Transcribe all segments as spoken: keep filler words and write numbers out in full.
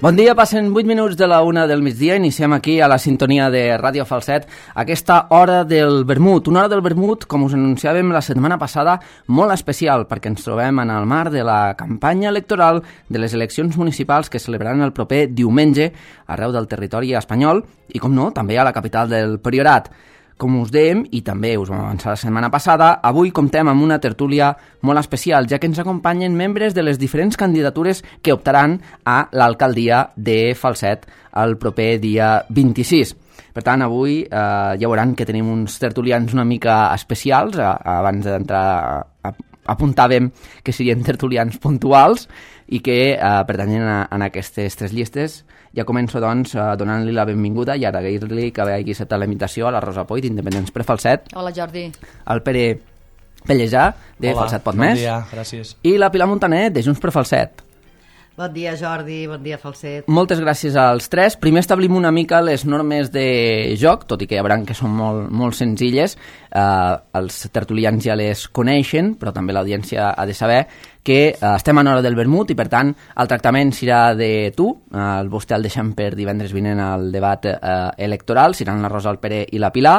Bon dia, passen vuit minuts de la una del migdia, iniciem aquí a la sintonia de Ràdio Falset aquesta hora del vermut, una hora del vermut, com us anunciàvem la setmana passada, molt especial, perquè ens trobem en el marc de la campanya electoral de les eleccions municipals que celebraran el proper diumenge arreu del territori espanyol i, com no, també a la capital del Priorat. Com us dèiem, i també us vam avançar la setmana passada, avui comptem amb una tertúlia molt especial, ja que ens acompanyen membres de les diferents candidatures que optaran a l'alcaldia de Falset el proper dia vint-i-sis. Per tant, avui eh, ja veuran que tenim uns tertulians una mica especials. Abans d'entrar apuntàvem que serien tertulians puntuals i que eh, pertanyen a, a aquestes tres llistes. Ja començo, doncs, donant-li la benvinguda i agrair-li que hagi acceptat la invitació a la Rosa Poit, d'Independents per Falset. Hola, Jordi. Al Pere Pellejà, de Hola, Falset Pot Més. Bon dia, gràcies. I la Pilar Montaner, de Junts per Falset. Bon dia, Jordi, bon dia, Falset. Moltes gràcies als tres. Primer establim una mica les normes de joc, tot i que ja veuran que són molt, molt senzilles. Eh, els tertulians ja les coneixen, però també l'audiència ha de saber que eh, estem en hora del vermut i, per tant, el tractament serà de tu. Eh, vostè el deixem per divendres vinent al debat eh, electoral. Seran la Rosa, el Pere i la Pilar.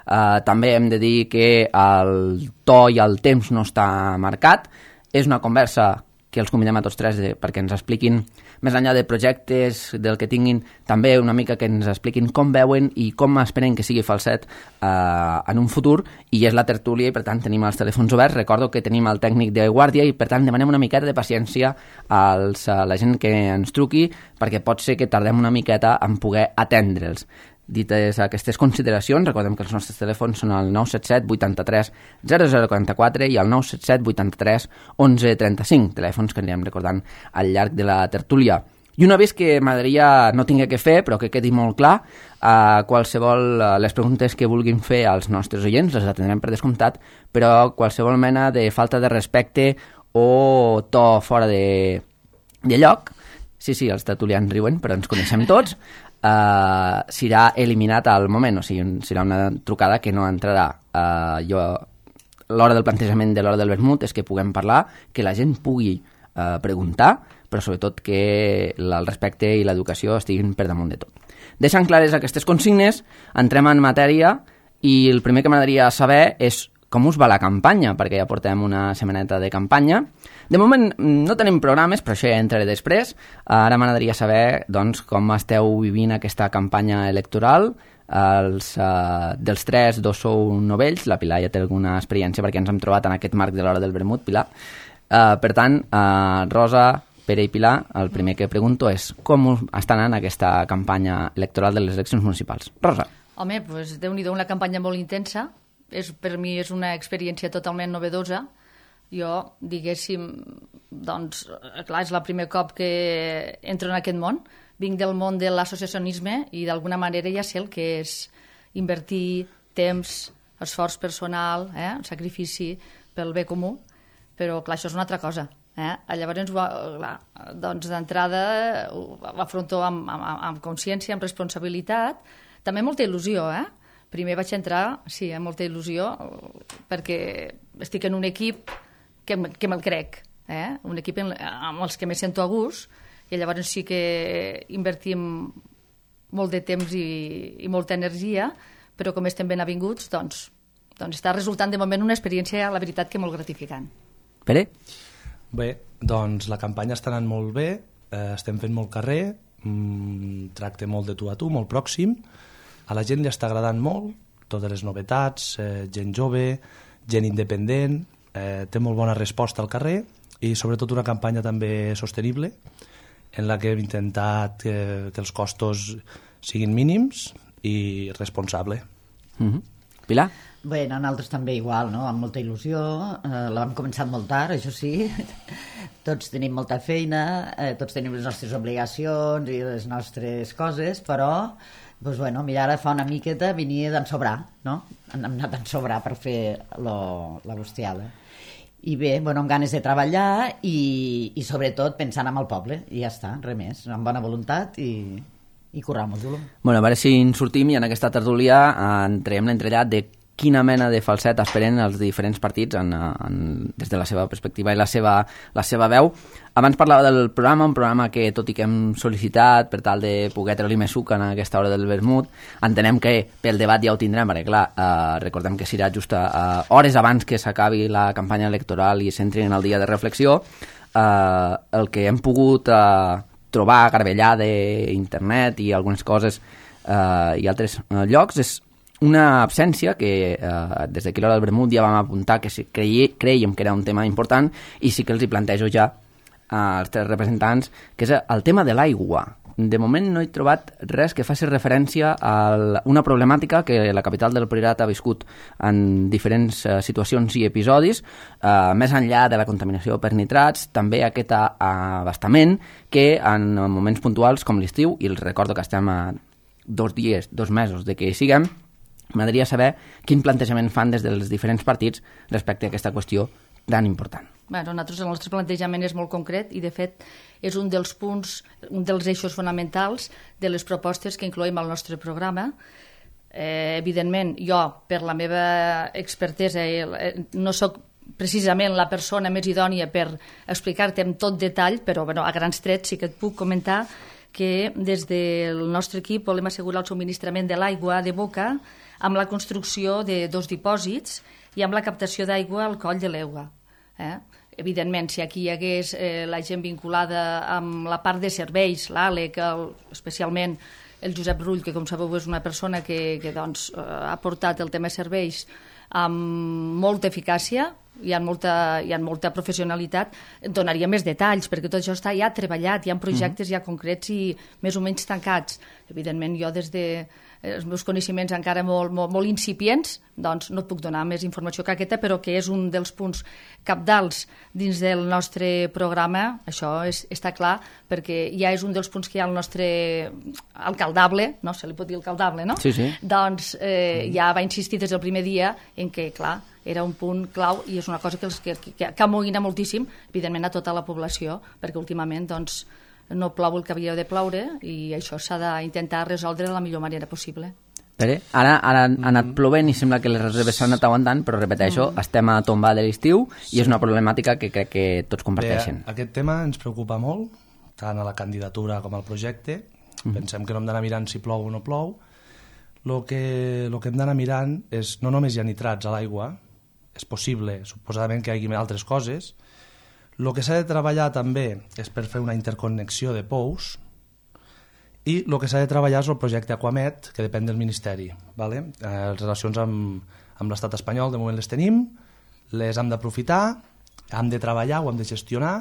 Eh, també hem de dir que el to i el temps no està marcat. És una conversa que els convidem a tots tres de, perquè ens expliquin, més enllà de projectes, del que tinguin, també una mica que ens expliquin com veuen i com esperen que sigui Falset eh, en un futur, i és la tertúlia i per tant tenim els telèfons oberts. Recordo que tenim el tècnic de guàrdia i per tant demanem una miqueta de paciència als, a la gent que ens truqui, perquè pot ser que tardem una miqueta en poder atendre'ls. Dites aquestes consideracions, recordem que els nostres telèfons són el nou set set vuitanta-tres zero zero quaranta-quatre i el nou set set vuitanta-tres onze trenta-cinc, telèfons que anirem recordant al llarg de la tertúlia. I una vez que m'agradaria no tingué que fer, però que quedi molt clar, eh, qualsevol, eh, les preguntes que vulguin fer als nostres oients les atendrem per descomptat, però qualsevol mena de falta de respecte o to fora de, de lloc, sí, sí, els tertulians riuen, però ens coneixem tots, Uh, serà eliminat al moment, o sigui, serà una trucada que no entrarà. Uh, jo, l'hora del plantejament de l'hora del vermut és que puguem parlar, que la gent pugui uh, preguntar, però sobretot que el respecte i l'educació estiguin per damunt de tot. Deixant clares aquestes consignes, entrem en matèria i el primer que m'agradaria saber és com us va la campanya, perquè ja portem una setmaneta de campanya. De moment no tenim programes, però això ja entraré després. Ara m'agradaria saber, doncs, com esteu vivint aquesta campanya electoral. Els, uh, dels tres, dos sou novells, la Pilar ja té alguna experiència perquè ens hem trobat en aquest marc de l'hora del vermut, Pilar. Uh, per tant, uh, Rosa, Pere i Pilar, el primer que pregunto és com està anant aquesta campanya electoral de les eleccions municipals. Rosa. Home, doncs Déu-n'hi-do, una campanya molt intensa. És, per mi és una experiència totalment novedosa. Jo, diguéssim, doncs, clar, és el primer cop que entro en aquest món. Vinc del món de l'associacionisme i d'alguna manera ja sé el que és invertir temps, esforç personal, eh, sacrifici pel bé comú, però clar, això és una altra cosa. Eh? Llavors, clar, doncs d'entrada ho afronto amb, amb, amb consciència, amb responsabilitat, també molta il·lusió, eh? Primer vaig entrar, sí, amb molta il·lusió, perquè estic en un equip que, que me'l crec, eh? Un equip en, amb els que me sento a gust, i llavors sí que invertim molt de temps i, i molta energia, però com estem ben avinguts, doncs, doncs està resultant de moment una experiència, la veritat, que molt gratificant. Pere? Bé, doncs la campanya està anant molt bé, eh, estem fent molt carrer, mmm, tracte molt de tu a tu, molt pròxim. A la gent li està agradant molt, totes les novetats, eh, gent jove, gent independent, eh, té molt bona resposta al carrer i sobretot una campanya també sostenible en la que hem intentat que, que els costos siguin mínims i responsable. Mm-hmm. Pilar? Bé, nosaltres també igual, no? Amb molta il·lusió, eh, l'hem començat molt tard, això sí, tots tenim molta feina, eh, tots tenim les nostres obligacions i les nostres coses, però doncs, bueno, mira, ara fa una miqueta venia d'ensobrar, no? Hem anat d'ensobrar per fer lo, la bustiada. I bé, bueno, amb ganes de treballar i, i sobretot pensant en el poble, i ja està, res més, amb bona voluntat i, i currar molt. Bueno, a veure si en sortim i en aquesta tertúlia entrem l'entrellat de quina mena de falset esperen els diferents partits en, en, des de la seva perspectiva i la seva, la seva veu. Abans parlava del programa, un programa que, tot i que hem sol·licitat per tal de poder treure-li més suc en aquesta hora del vermut, entenem que pel debat ja ho tindrem, perquè clar, eh, recordem que serà just a, a hores abans que s'acabi la campanya electoral i s'entri en el dia de reflexió. Eh, el que hem pogut eh, trobar a garbellar d'internet i algunes coses eh, i altres eh, llocs és una absència que eh, des d'aquí l'hora del vermut ja vam apuntar que si creí, creiem que era un tema important i sí que els hi plantejo ja als tres representants, que és el tema de l'aigua. De moment no he trobat res que faci referència a una problemàtica que la capital del Priorat ha viscut en diferents uh, situacions i episodis, uh, més enllà de la contaminació per nitrats, també aquest abastament que en moments puntuals com l'estiu, i els recordo que estem a dos dies, dos mesos de que hi siguem, m'agradaria saber quin plantejament fan des dels diferents partits respecte a aquesta qüestió tan important. Bueno, nosaltres el nostre plantejament és molt concret i, de fet, és un dels punts, un dels eixos fonamentals de les propostes que incloem al nostre programa. Eh, evidentment, jo, per la meva expertesa, eh, no sóc precisament la persona més idònia per explicar-te amb tot detall, però bueno, a grans trets sí que et puc comentar que des del nostre equip volem assegurar el subministrament de l'aigua de boca amb la construcció de dos dipòsits i amb la captació d'aigua al coll de l'Eua. Eh? Evidentment, si aquí hi hagués eh, la gent vinculada amb la part de serveis, l'Àlec, el, especialment el Josep Rull, que com sabeu és una persona que, que doncs, eh, ha portat el tema de serveis amb molta eficàcia i amb molta, i amb molta professionalitat, donaria més detalls, perquè tot això està ja treballat, hi ha projectes mm-hmm. ja concrets i més o menys tancats. Evidentment, jo des de els meus coneixements encara molt, molt, molt incipients, doncs no et puc donar més informació que aquesta, però que és un dels punts cabdals dins del nostre programa, això és, està clar, perquè ja és un dels punts que hi ha al nostre alcaldable, no? Se li pot dir alcaldable, no? Sí, sí. Doncs eh, ja va insistir des del primer dia en que, clar, era un punt clau i és una cosa que, els, que, que, que amoïna moltíssim, evidentment, a tota la població, perquè últimament, doncs, no plou el que havia de ploure i això s'ha d'intentar resoldre de la millor manera possible. Pere, ara, ara ha anat plovent i sembla que les reserves s'han anat aguantant, però repeteixo, mm. estem a tombar de l'estiu i és una problemàtica que crec que tots comparteixen. Bé, aquest tema ens preocupa molt, tant a la candidatura com al projecte. Mm. Pensem que no hem d'anar mirant si plou o no plou. El que, lo que hem d'anar mirant és no només hi ha nitrats a l'aigua, és possible, suposadament, que hi hagi altres coses. El que s'ha de treballar també és per fer una interconnexió de pous i el que s'ha de treballar és el projecte Aquamet, que depèn del Ministeri. Vale? Eh, les relacions amb, amb l'estat espanyol, de moment les tenim, les hem d'aprofitar, hem de treballar, ho hem de gestionar,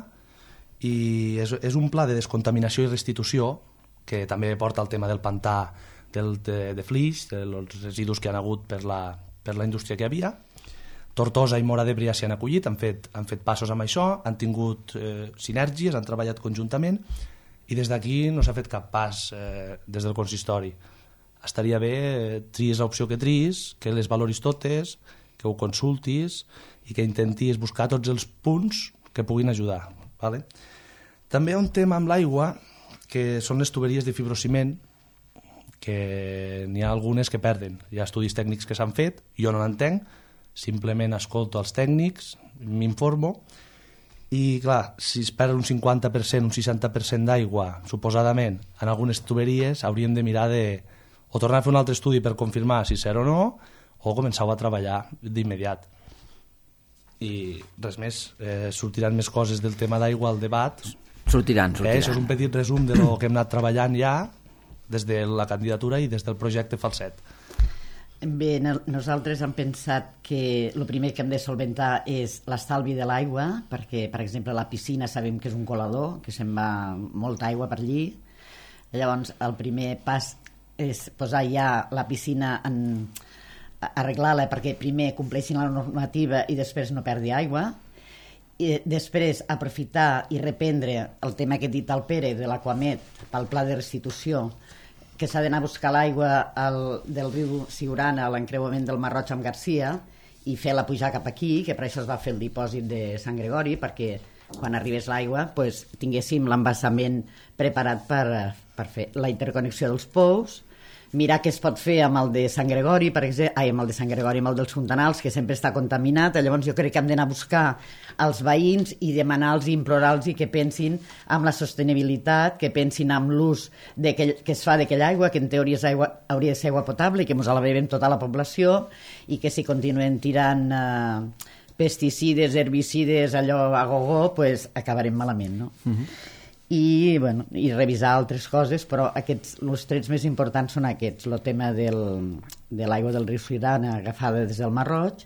i és, és un pla de descontaminació i restitució que també porta el tema del pantà del, de, de flix, dels residus que han hagut per la, per la indústria que hi havia. Tortosa i Móra d'Ebre ja s'hi han acollit, han fet, han fet passos amb això, han tingut eh, sinergies, han treballat conjuntament i des d'aquí no s'ha fet cap pas eh, des del consistori. Estaria bé, eh, tries l'opció que tries, que les valoris totes, que ho consultis i que intentis buscar tots els punts que puguin ajudar. Vale? També hi ha un tema amb l'aigua que són les tuberies de fibrociment, que n'hi ha algunes que perden. Hi ha estudis tècnics que s'han fet, jo no n'entenc, simplement escolto els tècnics, m'informo, i clar, si es perd un cinquanta per cent, un seixanta per cent d'aigua, suposadament, en algunes tuberies, hauríem de mirar de o tornar a fer un altre estudi per confirmar si ser o no, o començar a treballar d'immediat. I res més, eh, sortiran més coses del tema d'aigua al debat. Sortiran, sortiran. Eh, això és un petit resum de lo que hem anat treballant ja des de la candidatura i des del projecte Falset. Bé, nosaltres hem pensat que el primer que hem de solventar és l'estalvi de l'aigua, perquè, per exemple, la piscina sabem que és un colador, que se'n va molta aigua per allí. Llavors, el primer pas és posar ja la piscina en arreglar-la perquè primer compleixin la normativa i després no perdi aigua. I després aprofitar i reprendre el tema que he dit al Pere de l'Aquamet pel pla de restitució, que s'ha d'anar a buscar l'aigua del riu Siurana a l'encreuament del Mar Roig amb Garcia i fer-la pujar cap aquí, que per això es va fer el dipòsit de Sant Gregori, perquè quan arribés l'aigua pues, tinguéssim l'embassament preparat per, per fer la interconnexió dels pous, mirar què es pot fer amb el de Sant Gregori, per exemple, ai, amb el de Sant Gregori, amb el dels Fontanals, que sempre està contaminat. Llavors jo crec que hem d'anar a buscar els veïns i demanar-los i implorar-los que pensin amb la sostenibilitat, que pensin amb l'ús de que, que es fa d'aquella aigua, que en teoria és aigua, hauria de ser aigua potable i que ens la bevem tota la població, i que si continuem tirant eh, pesticides, herbicides, allò a gogó, pues acabarem malament, no? Uh-huh. I, bueno, i revisar altres coses, però aquests, els trets més importants són aquests, el tema del, de l'aigua del riu Siurana agafada des del Mar Roig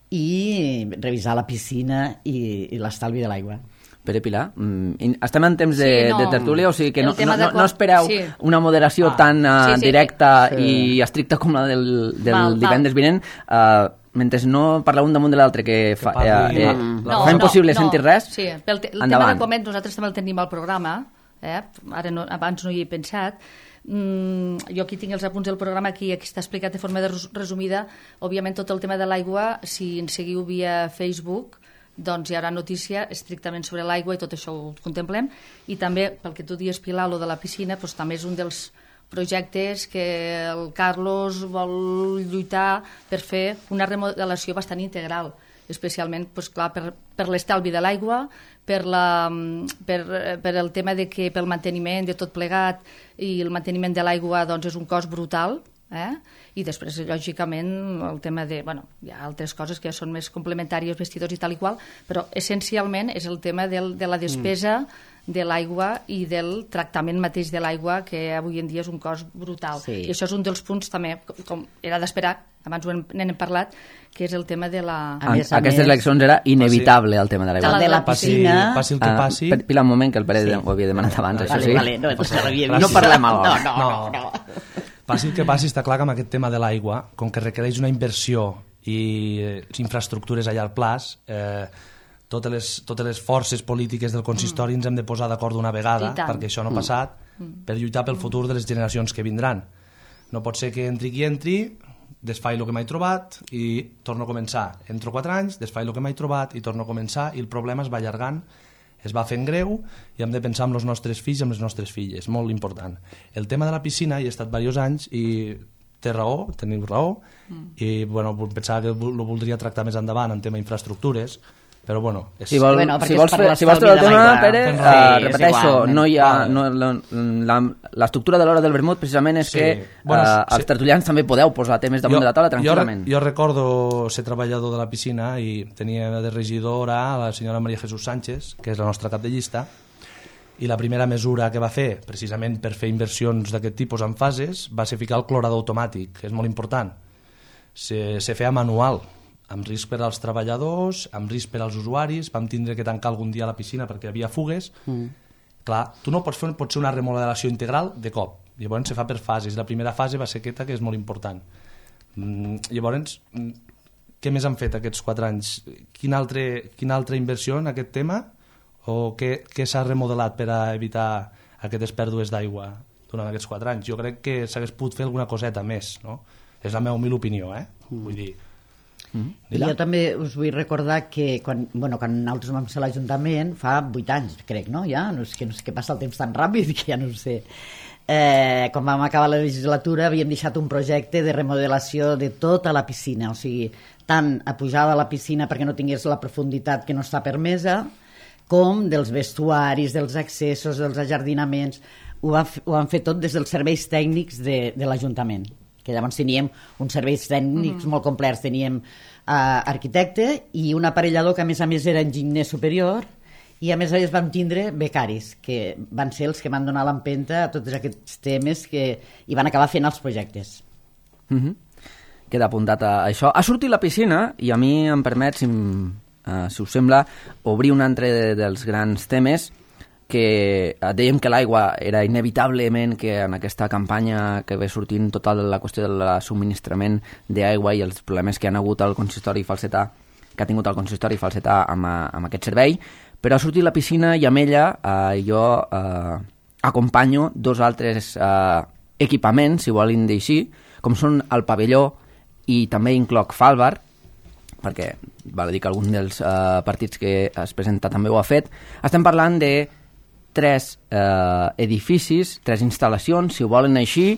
i revisar la piscina i, i l'estalvi de l'aigua. Pere Pilar, mm, estem en temps de, sí, no, de tertúlia, o sigui que no, no, no, no espereu sí. una moderació ah, tan uh, sí, sí, directa sí. i estricta com la del, del val, divendres val. vinent. Uh, mentre no parleu un damunt de l'altre que fa, que parli, eh, eh, no, fa impossible no, sentir res, sí, pel te, el endavant. Tema de coment nosaltres també el tenim al programa, eh? Ara no, abans no hi he pensat. Mm, jo aquí tinc els apunts del programa, aquí, aquí està explicat de forma de resumida. Òbviament tot el tema de l'aigua, si ens seguiu via Facebook, doncs hi haurà notícia estrictament sobre l'aigua i tot això ho contemplem. I també, pel que tu dius, Pilar, lo de la piscina, doncs també és un dels projectes que el Carlos vol lluitar per fer una remodelació bastant integral, especialment doncs, clar, per, per l'estalvi de l'aigua, per, la, per, per el tema de que pel manteniment de tot plegat i el manteniment de l'aigua doncs, és un cost brutal, eh? I després, lògicament, el tema de... Bueno, hi ha altres coses que són més complementàries, vestidors i tal i qual, però essencialment és el tema del, de la despesa mm. de l'aigua i del tractament mateix de l'aigua, que avui en dia és un cost brutal. Sí. I això és un dels punts també, com era d'esperar, abans ho n'hem parlat, que és el tema de la... A més, a Aquestes més, eleccions era inevitable, el tema de l'aigua. De la piscina... Passi el que passi... Uh, Pilar, un moment, que el Pere sí. ho havia demanat abans, vale, això sí. Vale, no, pues no parlem alhora. No, no, no. no. Passi el que passi, està clar que amb aquest tema de l'aigua, com que requereix una inversió i eh, infraestructures a llarg plaç, eh, totes, les, totes les forces polítiques del consistori mm. ens hem de posar d'acord d'una vegada, perquè això no ha mm. passat, mm. per lluitar pel futur de les generacions que vindran. No pot ser que entri qui entri, desfaig el que m'he trobat i torno a començar. Entro quatre anys, desfaig el que m'he trobat i torno a començar, i el problema es va allargant, es va fent greu, i hem de pensar en els nostres fills i en les nostres filles, molt important. El tema de la piscina, hi he estat diversos anys i té raó, teniu raó, mm. i bueno, pensava que ho voldria tractar més endavant en tema infraestructures, però bueno... És... Si, vol, bueno, si vols fer si vols el tema, Pere, uh, sí, repeteixo, igual, no hi ha, no, la, l'estructura de l'hora del vermut precisament és sí. que bueno, uh, sí. els tertulians també podeu posar temes damunt jo, de la taula tranquil·lament. Jo, jo recordo ser treballador de la piscina i tenia de regidora la senyora Maria Jesús Sánchez, que és la nostra cap de llista, i la primera mesura que va fer, precisament per fer inversions d'aquest tipus en fases, va ser ficar el clorador automàtic, que és molt important. Se, se feia manual, amb risc per als treballadors, amb risc per als usuaris, vam tindre que tancar algun dia la piscina perquè hi havia fugues. Mm. Clar, tu no pots fer pot ser una remodelació integral de cop, llavors se fa per fases. La primera fase va ser aquesta, que és molt important. Mm, llavors, què més han fet aquests quatre anys? Quina altra, quina altra inversió en aquest tema? O què, què s'ha remodelat per a evitar aquestes pèrdues d'aigua durant aquests quatre anys? Jo crec que s'hagués pogut fer alguna coseta més, no? És la meva humil opinió, eh? Mm. Vull dir... Mm-hmm. Jo també us vull recordar que quan, bueno, quan nosaltres vam ser a l'Ajuntament fa vuit anys, crec, no? Ja, no és que, no és que passa el temps tan ràpid que ja no ho sé. Eh, quan vam acabar la legislatura havíem deixat un projecte de remodelació de tota la piscina, o sigui, tant a pujar a la piscina perquè no tingués la profunditat que no està permesa, com dels vestuaris, dels accessos, dels ajardinaments. Ho, va, ho van fer tot des dels serveis tècnics de, de l'Ajuntament, que llavors teníem uns serveis tècnics mm-hmm. molt complets, teníem uh, arquitecte i un aparellador que a més a més era enginyer superior, i a més a més vam tindre becaris, que van ser els que van donar l'empenta a tots aquests temes que hi van acabar fent els projectes. Mm-hmm. Queda apuntat a això. Ha sortit la piscina i a mi em permet, si, uh, si us sembla, obrir un altre de, dels grans temes, que dèiem que l'aigua era inevitablement, que en aquesta campanya que ve sortint tota la qüestió del subministrament d'aigua i els problemes que han hagut al consistori falsetà, que ha tingut el consistori falsetà amb, amb aquest servei, però ha sortit la piscina i amb ella eh, jo eh, acompanyo dos altres eh, equipaments, si volen dir així, com són el pavelló i també incloc Falbar, perquè val a dir que algun dels eh, partits que es presenta també ho ha fet. Estem parlant de tres eh, edificis, tres instal·lacions, si ho volen així,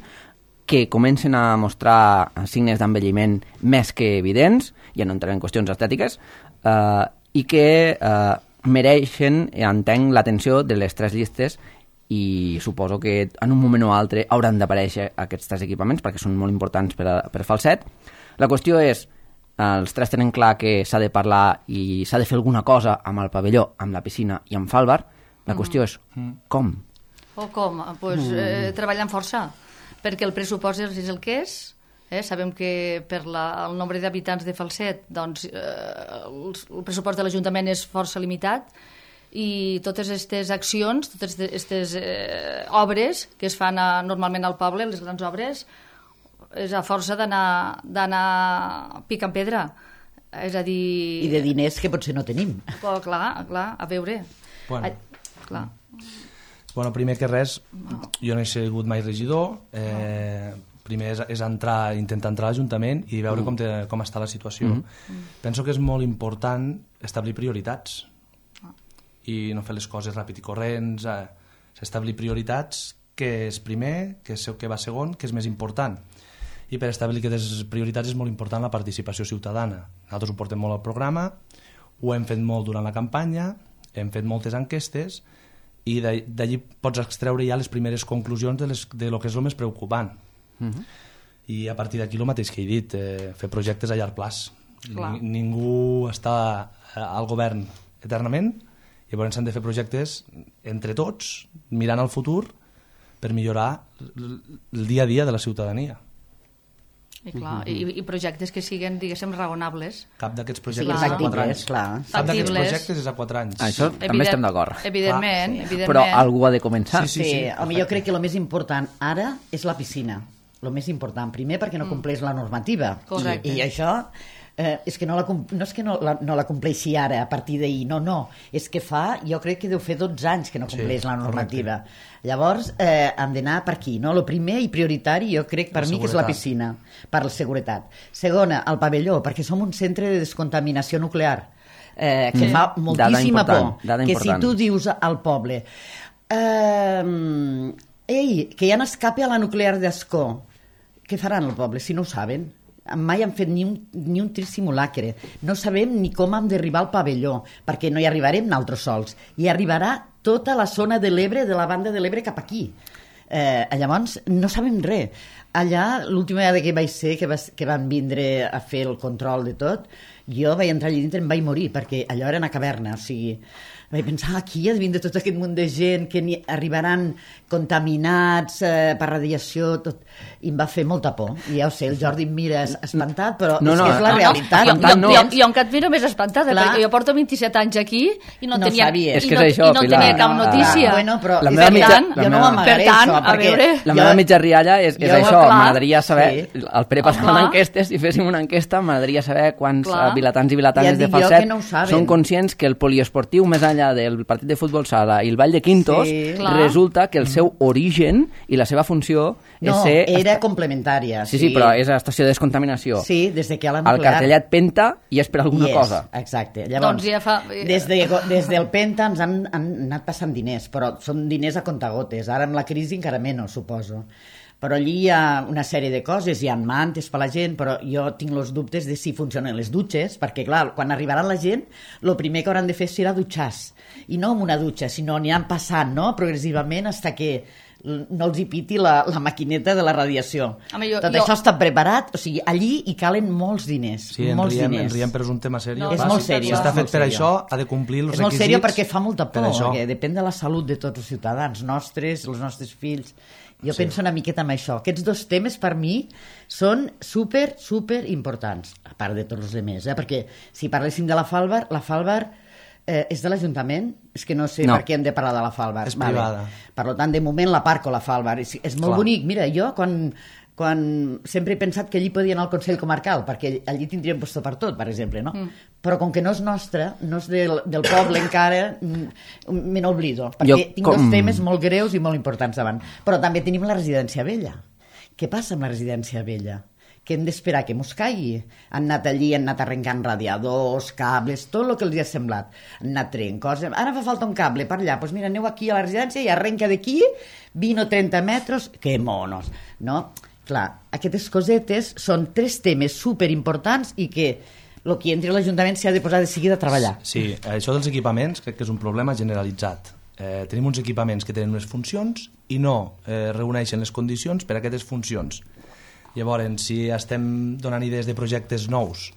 que comencen a mostrar signes d'envelliment més que evidents, ja no entrem en qüestions estètiques, eh, i que eh, mereixen, entenc, l'atenció de les tres llistes, i suposo que en un moment o altre hauran d'aparèixer aquests tres equipaments perquè són molt importants per, a, per Falset. La qüestió és, els tres tenen clar que s'ha de parlar i s'ha de fer alguna cosa amb el pavelló, amb la piscina i amb Falbar. La qüestió és com? O com? Pues, eh, treballant força, perquè el pressupost és el que és. Eh? Sabem que per la, el nombre d'habitants de Falset doncs, eh, el, el pressupost de l'Ajuntament és força limitat, i totes aquestes accions, totes aquestes eh, obres que es fan a, normalment al poble, les grans obres, és a força d'anar picant pedra. És a dir... I de diners que potser no tenim. Però, clar, clar, a veure... Bueno. A, clar. Bueno, primer que res, jo no he sigut mai regidor, eh, primer és, és entrar, intentar entrar a l'Ajuntament i veure mm. com, te, com està la situació. Mm. Penso que és molt important establir prioritats i no fer les coses ràpid i corrents, eh, establir prioritats, que és primer, que és que va segon, que és més important. I per establir aquestes prioritats és molt important la participació ciutadana. Nosaltres ho portem molt al programa, ho hem fet molt durant la campanya, hem fet moltes enquestes i d'allí pots extreure ja les primeres conclusions de, les, de lo que és el més preocupant. Uh-huh. I a partir d'aquí el mateix que he dit, eh, fer projectes a llarg plaç. Ni, ningú està al govern eternament, llavors s'han de fer projectes entre tots, mirant al futur per millorar el dia a dia de la ciutadania. I, clar, i, i projectes que siguin, diguéssim, raonables. Cap d'aquests projectes sí, és a quatre anys. Clar. Cap d'aquests projectes és a quatre anys. Això Evident, també estem d'acord. Evidentment, sí. evidentment. Però algú ha de començar. Sí, sí, sí, sí. Home, jo crec que el més important ara és la piscina. El més important. Primer, perquè no compleix la normativa. Correcte. I, i això eh, és que no, la, no és que no la, no la compleixi ara, a partir d'ahir. No, no. És que fa, jo crec que deu fer dotze anys que no compleix sí, la normativa. Correcte. Llavors, eh, hem d'anar per aquí. No? El primer i prioritari, jo crec, per la mi, seguretat. Que és la piscina, per la seguretat. Segona, el pavelló, perquè som un centre de descontaminació nuclear, eh, que mm. fa moltíssima por. Que si tu dius al poble eh, ei, que ja n'escape a la nuclear d'Ascó, què faran el poble si no ho saben? Mai han fet ni un, ni un trist simulacre. No sabem ni com hem d'arribar al pavelló, perquè no hi arribarem nosaltres sols. Hi arribarà tota la zona de l'Ebre, de la banda de l'Ebre cap aquí. Eh, llavors, no sabem res. Allà, l'última vegada que vaig ser, que, vas, que van vindre a fer el control de tot, jo vaig entrar allà dintre i em vaig morir, perquè allò era una caverna, o sigui... Vaig pensar, aquí ha de vindre tot aquest munt de gent que arribaran contaminats eh, per radiació, tot... I em va fer molta por. I ja ho sé, el Jordi em mira espantat, però no, no, és que és la no, realitat. No, jo, jo, jo, jo encara et miro més espantada, clar. Perquè jo porto vint-i-set anys aquí i no, no tenia, i és que no, és això, i no Pilar. tenia cap notícia. Ah, bueno, però la meva mitja, tant, jo no m'amagaré tant, això, perquè... Veure, la meva jo, mitja rialla és, és jo, això, clar, m'agradaria saber, sí. el Pere passava enquestes, si féssim una enquesta, m'agradaria saber quants clar. vilatans i vilatanes ja de Falset no són conscients que el poliesportiu, més enllà del partit de futbol sala i el Vall de Quintos, sí, resulta que el seu origen i la seva funció no, és ser... era complementària. Sí, sí, sí, però és a estació de descontaminació. Sí, des de que la nuclear... El cartellet Penta i és per alguna yes, cosa. Exacte. Llavors, doncs ja fa... des, de, des del Penta ens han, han anat passant diners, però són diners a comptagotes. Ara amb la crisi encara menys, suposo. Però allí hi ha una sèrie de coses, hi ha mantes per la gent, però jo tinc els dubtes de si funcionen les dutxes, perquè clar, quan arribaran la gent, el primer que hauran de fer serà dutxar-se. I no amb una dutxa, sinó aniran passant, no?, progressivament, fins que no els hi piti la, la maquineta de la radiació. Home, jo, Tot jo... això està preparat, o sigui, allí hi calen molts diners. Sí, molts en riem, diners. en riem, però és un tema seriós. No, és molt seriós. Si està fet per seriós. això, ha de complir els requisits. És molt seriós perquè fa molta por, per perquè depèn de la salut de tots els ciutadans nostres, els nostres fills. Jo sí. penso una miqueta en això. Aquests dos temes, per mi, són super, super importants, a part de tots els altres, eh? Perquè si parléssim de la Falbar, la Falbar eh, és de l'Ajuntament? És que no sé no. per què hem de parlar de la Falbar. És privada. Vale. Per tant, de moment la parco, la Falbar. És, és molt Clar. bonic. Mira, jo quan... quan sempre he pensat que allí podia anar al Consell Comarcal, perquè allí tindríem posto per tot, per exemple, no? Mm. Però com que no és nostre, no és del, del poble encara, me n'oblido, perquè jo, tinc com... dos temes molt greus i molt importants davant. Però també tenim la residència vella. Què passa amb la residència vella? Que hem d'esperar que mos caigui. Han anat allí, han anat arrencant radiadors, cables, tot el que els ha semblat. Han anat traient coses. Ara fa falta un cable per allà. Doncs pues mira, aneu aquí a la residència i arrenca d'aquí vint o trenta metres. Que monos, no? Clar, aquestes cosetes són tres temes superimportants i que el que entri a l'Ajuntament s'ha de posar de seguida a treballar. Sí, això dels equipaments crec que és un problema generalitzat. Eh, tenim uns equipaments que tenen unes funcions i no eh, reuneixen les condicions per a aquestes funcions. Llavors, si estem donant idees de projectes nous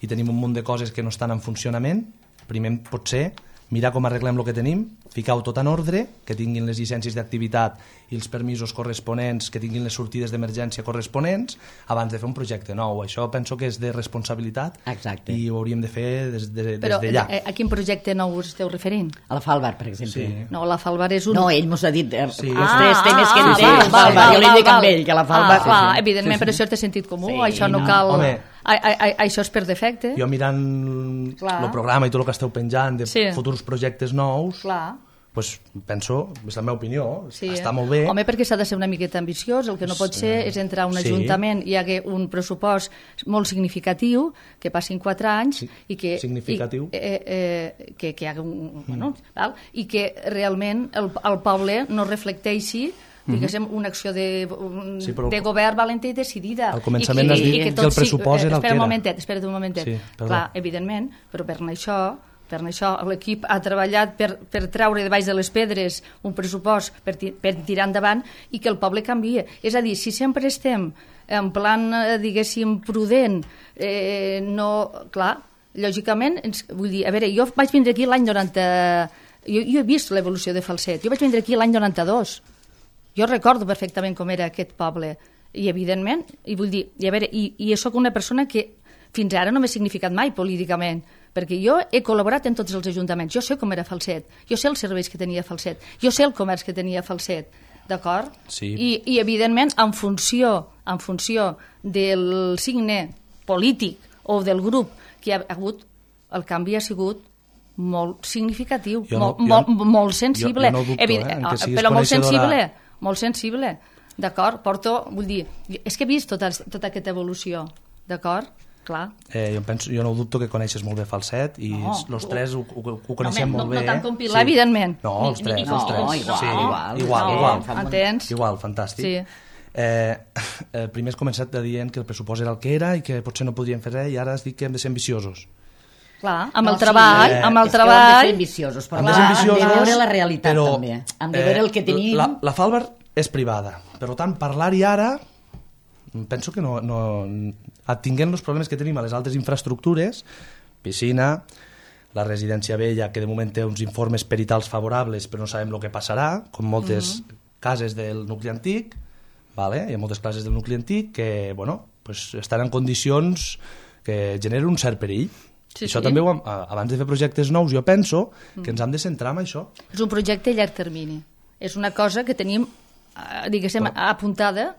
i tenim un munt de coses que no estan en funcionament, primer potser mirar com arreglem el que tenim, ficar-ho tot en ordre, que tinguin les llicències d'activitat i els permisos corresponents, que tinguin les sortides d'emergència corresponents, abans de fer un projecte nou. Això penso que és de responsabilitat. Exacte. I ho hauríem de fer des, de, des Però d'allà. a, a quin projecte nou us esteu referint? A la Falbar, per exemple. Sí. No, la Falbar és un... No, ell mos ha dit eh, Sí. els Ah, tres temes que ah, en té. val, la val, Falbar. val, Jo li dic val, amb ell, que la Falbar... Ah, clar, sí, sí. evidentment, Sí, sí. però això té sentit comú, Sí, això no no. cal... Home. A, a, a, això és per defecte. Jo mirant Clar. el programa i tot el que esteu penjant de Sí. futurs projectes nous, Clar. pues, penso, és la meva opinió, Sí, està eh? molt bé. Home, perquè s'ha de ser una miqueta ambiciós, el que no pot Sí. ser és entrar a un Sí. ajuntament i hi hagi un pressupost molt significatiu, que passin quatre anys, Sí. i que... Significatiu. I, eh, eh, que, que hi hagi un... Bueno, val? I que realment el, el poble no reflecteixi diguéssim, una acció de, un, Sí, però- de govern valenta i decidida. Al començament I has dit que tot el pressupost sí, era el espera que un era. momentet, espera't un momentet. Sí, perdó. Clar, evidentment, però per això per això l'equip ha treballat per, per treure de baix de les pedres un pressupost per, ti, per tirar endavant i que el poble canvia. És a dir, si sempre estem en plan, eh, diguéssim, prudent, eh, no... Clar, lògicament, ens, vull dir, a veure, jo vaig vindre aquí l'any noranta... Jo, jo he vist l'evolució de Falset. Jo vaig vindre aquí l'any noranta-dos. Jo recordo perfectament com era aquest poble. I, evidentment, i vull dir, i a veure, i, i sóc una persona que fins ara no m'he significat mai políticament, perquè jo he col·laborat en tots els ajuntaments. Jo sé com era Falset, jo sé els serveis que tenia Falset, jo sé el comerç que tenia Falset, d'acord? Sí. I, I, evidentment, en funció, en funció del signe polític o del grup que ha hagut, el canvi ha sigut molt significatiu, Jo no- molt, molt, jo- molt sensible. jo no dubto, Evi- eh, en que siguis però molt coneixedora- sensible, molt sensible, d'acord? Porto, vull dir, és que he vist tota, tota aquesta evolució, d'acord? Clar. Eh, jo, penso, jo no dubto que coneixes molt bé Falset i No, els ho- tres ho, ho, ho coneixem home, molt no- bé. no tant com Pilar, evidentment. No, Ni- els ni- tres, no, els tres. igual, sí, igual, igual, no, igual. entens? Igual, fantàstic. Sí. Eh, eh, primer has començat dient que el pressupost era el que era i que potser no podríem fer res i ara has dit que hem de ser ambiciosos. Clar, amb No, el sí, treball, eh, amb el És que ho hem de ser treball... ambiciosos, però Hem clar, de ser hem de ambiciosos, veure la realitat però, també. Hem de veure el que tenim. La, la Falbar és privada, per tant, parlar-hi ara penso que no, no tinguent els problemes que tenim a les altres infraestructures, piscina, la residència vella, que de moment té uns informes peritals favorables però no sabem el que passarà, com moltes mm-hmm. cases del nucli antic, vale? Hi ha moltes cases del nucli antic que bueno, pues, estan en condicions que generen un cert perill. Sí, Això sí. també, ho, hem- abans de fer projectes nous, jo penso que ens hem de centrar en això. És un projecte a llarg termini. És una cosa que tenim, eh, diguéssim, Però- apuntada,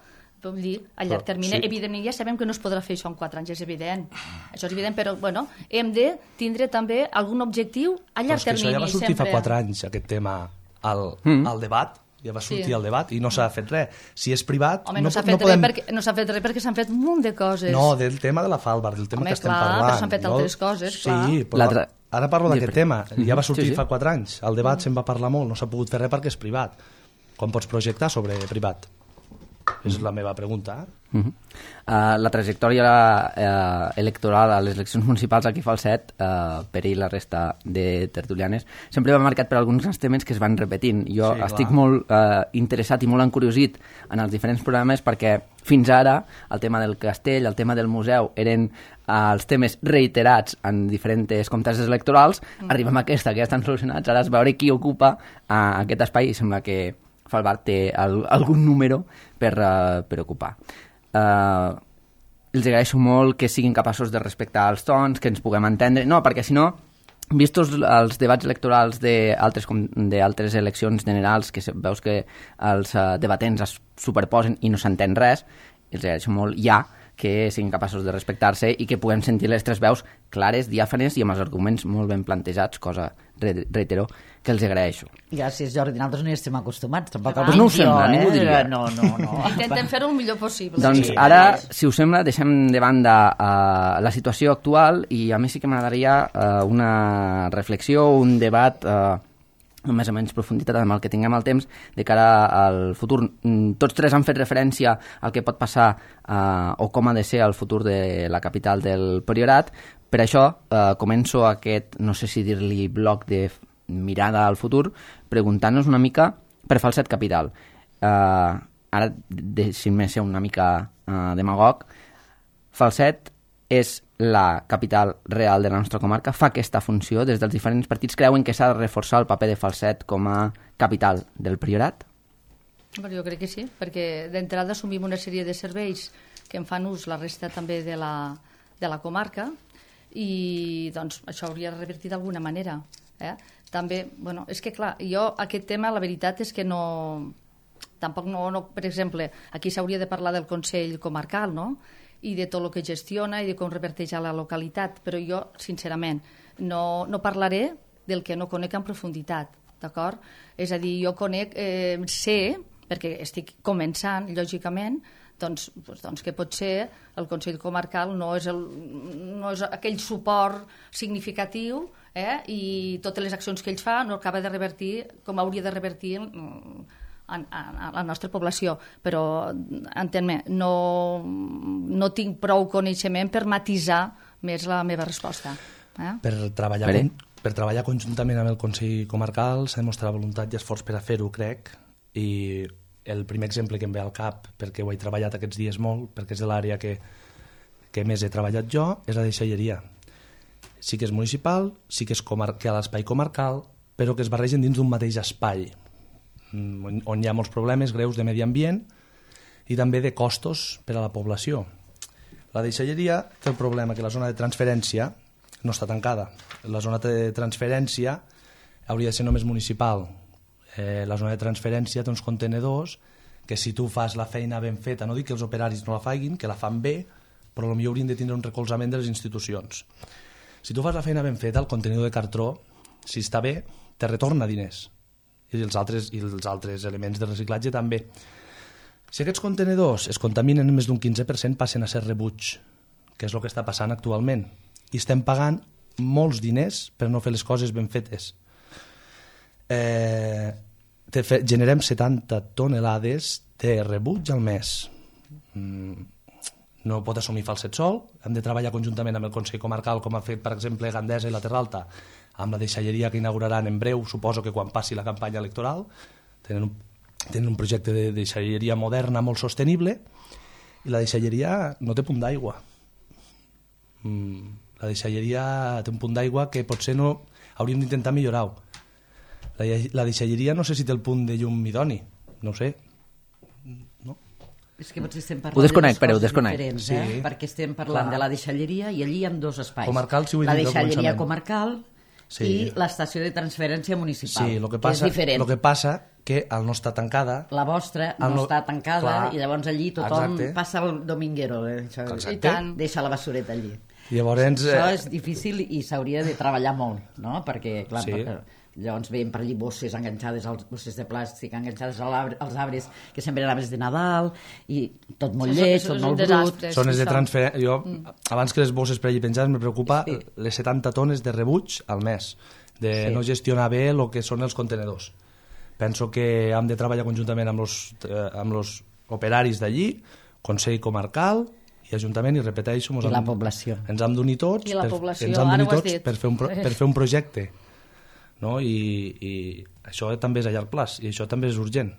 vull dir, a llarg Però, termini. sí. Evidentment, ja sabem que no es podrà fer això en quatre anys, és evident. Això és evident, però, bueno, hem de tindre també algun objectiu a Però llarg és que termini. això ja va sortir sempre. fa quatre anys, aquest tema, al, Mm. al debat, ja va sortir Sí. al debat i no s'ha fet res. Si és privat, Home, no, no, s'ha po- fet no podem... res perquè, no s'ha fet res perquè s'han fet un munt de coses. No, del tema de la Falbar, del tema Home, que estem clar, però parlant. s'han fet altres coses, sí, clar. però L'altre- ara parlo d'aquest Sí, tema. Ja va sortir Sí, sí. fa quatre anys. El debat se'n va parlar molt, no s'ha pogut fer res perquè és privat. Com pots projectar sobre privat? És la meva pregunta. Uh -huh. uh, la trajectòria uh, electoral a les eleccions municipals aquí a Falset, uh, per ell i la resta de tertulianes, sempre va marcat per alguns grans temes que es van repetint. Jo Sí, estic clar. molt uh, interessat i molt encuriosit en els diferents programes perquè fins ara el tema del castell, el tema del museu eren uh, els temes reiterats en diferents contests electorals. Mm. Arribem a aquesta, que ja estan solucionats. Ara és veure qui ocupa uh, aquest espai i sembla que Falbar té el, algun número per, uh, per ocupar. Uh, els agraeixo molt que siguin capaços de respectar els tons, que ens puguem entendre. No, perquè si no, vistos els debats electorals d'altres com- d'altres eleccions generals, que se- veus que els uh, debatents es superposen i no s'entén res, els agraeixo molt ja que siguin capaços de respectar-se i que puguem sentir les tres veus clares, diàfanes i amb els arguments molt ben plantejats, cosa, re reitero, que els agraeixo. Gràcies, Jordi. Nosaltres no hi estem acostumats. Tampoc Ah. el Pues no ho dic jo, sembla, eh? ningú diria. No, no, no. Intentem fer-ho el millor possible. Doncs Sí. ara, si us sembla, deixem de banda uh, la situació actual i a mi sí que m'agradaria uh, una reflexió, un debat uh, amb més o menys profunditat amb el que tinguem el temps de cara al futur. Tots tres han fet referència al que pot passar eh, o com ha de ser el futur de la capital del Priorat. Per això eh, començo aquest, no sé si dir-li bloc de mirada al futur, preguntant-nos una mica per Falset Capital. Eh, ara deixin-me ser una mica eh, demagog. Falset és la capital real de la nostra comarca, fa aquesta funció, des dels diferents partits creuen que s'ha de reforçar el paper de Falset com a capital del Priorat? Bueno, jo crec que sí, perquè d'entrada assumim una sèrie de serveis que en fan ús la resta també de la, de la comarca i doncs això hauria de revertir d'alguna manera. Eh? També, bueno, és que clar, jo aquest tema la veritat és que no... Tampoc no, no per exemple, aquí s'hauria de parlar del Consell Comarcal, no?, i de tot el que gestiona i de com reverteix a la localitat, però jo, sincerament, no, no parlaré del que no conec en profunditat, d'acord? És a dir, jo conec, eh, sé, perquè estic començant, lògicament, doncs, doncs, doncs que potser el Consell Comarcal no és, el, no és aquell suport significatiu eh, i totes les accions que ells fa no acaba de revertir com hauria de revertir a la nostra població, però entén-me, no, no tinc prou coneixement per matisar més la meva resposta. Eh? Per, treballar con, per treballar conjuntament amb el Consell Comarcal s'ha demostrat voluntat i esforç per a fer-ho, crec, i el primer exemple que em ve al cap, perquè ho he treballat aquests dies molt, perquè és de l'àrea que, que més he treballat jo, és la deixalleria. Sí que és municipal, sí que és comar- que hi ha l'espai comarcal, però que es barregen dins d'un mateix espai, on hi ha molts problemes greus de medi ambient i també de costos per a la població. La deixalleria té el problema que la zona de transferència no està tancada. La zona de transferència hauria de ser només municipal. Eh, la zona de transferència té uns contenedors que si tu fas la feina ben feta, no dic que els operaris no la facin, que la fan bé, però potser haurien de tindre un recolzament de les institucions. Si tu fas la feina ben feta, el contenidor de cartró, si està bé, te retorna diners. I els altres, i els altres elements de reciclatge també. Si aquests contenedors es contaminen en més d'un quinze per cent passen a ser rebuig, que és el que està passant actualment. I estem pagant molts diners per no fer les coses ben fetes. Eh, te fe, generem setanta tonelades de rebuig al mes. Mm, no pot assumir Falset sol, hem de treballar conjuntament amb el Consell Comarcal, com ha fet, per exemple, Gandesa i la Terra Alta, amb la deixalleria que inauguraran en breu, suposo que quan passi la campanya electoral. Tenen un, tenen un projecte de deixalleria moderna molt sostenible i la deixalleria no té punt d'aigua. Mm, la deixalleria té un punt d'aigua que potser no hauríem d'intentar millorar-ho. La, la deixalleria no sé si té el punt de llum idoni, no ho sé. No? És que potser estem Ho parlant desconec, de però ho dues coses desconec. diferents, Sí. eh? Perquè estem parlant Clar. de la deixalleria i allí hi ha dos espais. Comarcal, si ho he la dit al deixalleria començament. comarcal Sí. i l'estació de transferència municipal, Sí, lo que passa, és diferent. lo que passa que al no estar tancada... La vostra El no no- està tancada clar, i llavors allí tothom exacte. passa el dominguero, eh? Això, Exacte. I tant. deixa la basureta allí. Llavors, Això eh, és difícil i s'hauria de treballar molt, no? Perquè, clar, Sí. perquè llavors veiem per allí bosses enganxades, als, bosses de plàstic enganxades als arbres, als arbres que sembren arbres de Nadal i tot molt Això- lleig, això tot és un molt brut. desastre. zones de això. transferència... Jo, abans que les bosses per allí penjades, me preocupa Sí. les setanta tones de rebuig al mes, de Sí. no gestionar bé el que són els contenedors. Penso que hem de treballar conjuntament amb els eh, amb los operaris d'allí, Consell Comarcal i Ajuntament, i repeteixo... mos I hem- la població. Ens hem d'unir tots, I la per, població, ens hem ara d'unir ho has tots dit. per fer un, pro, per fer un projecte. No? I, I això també és a llarg plaç, i això també és urgent.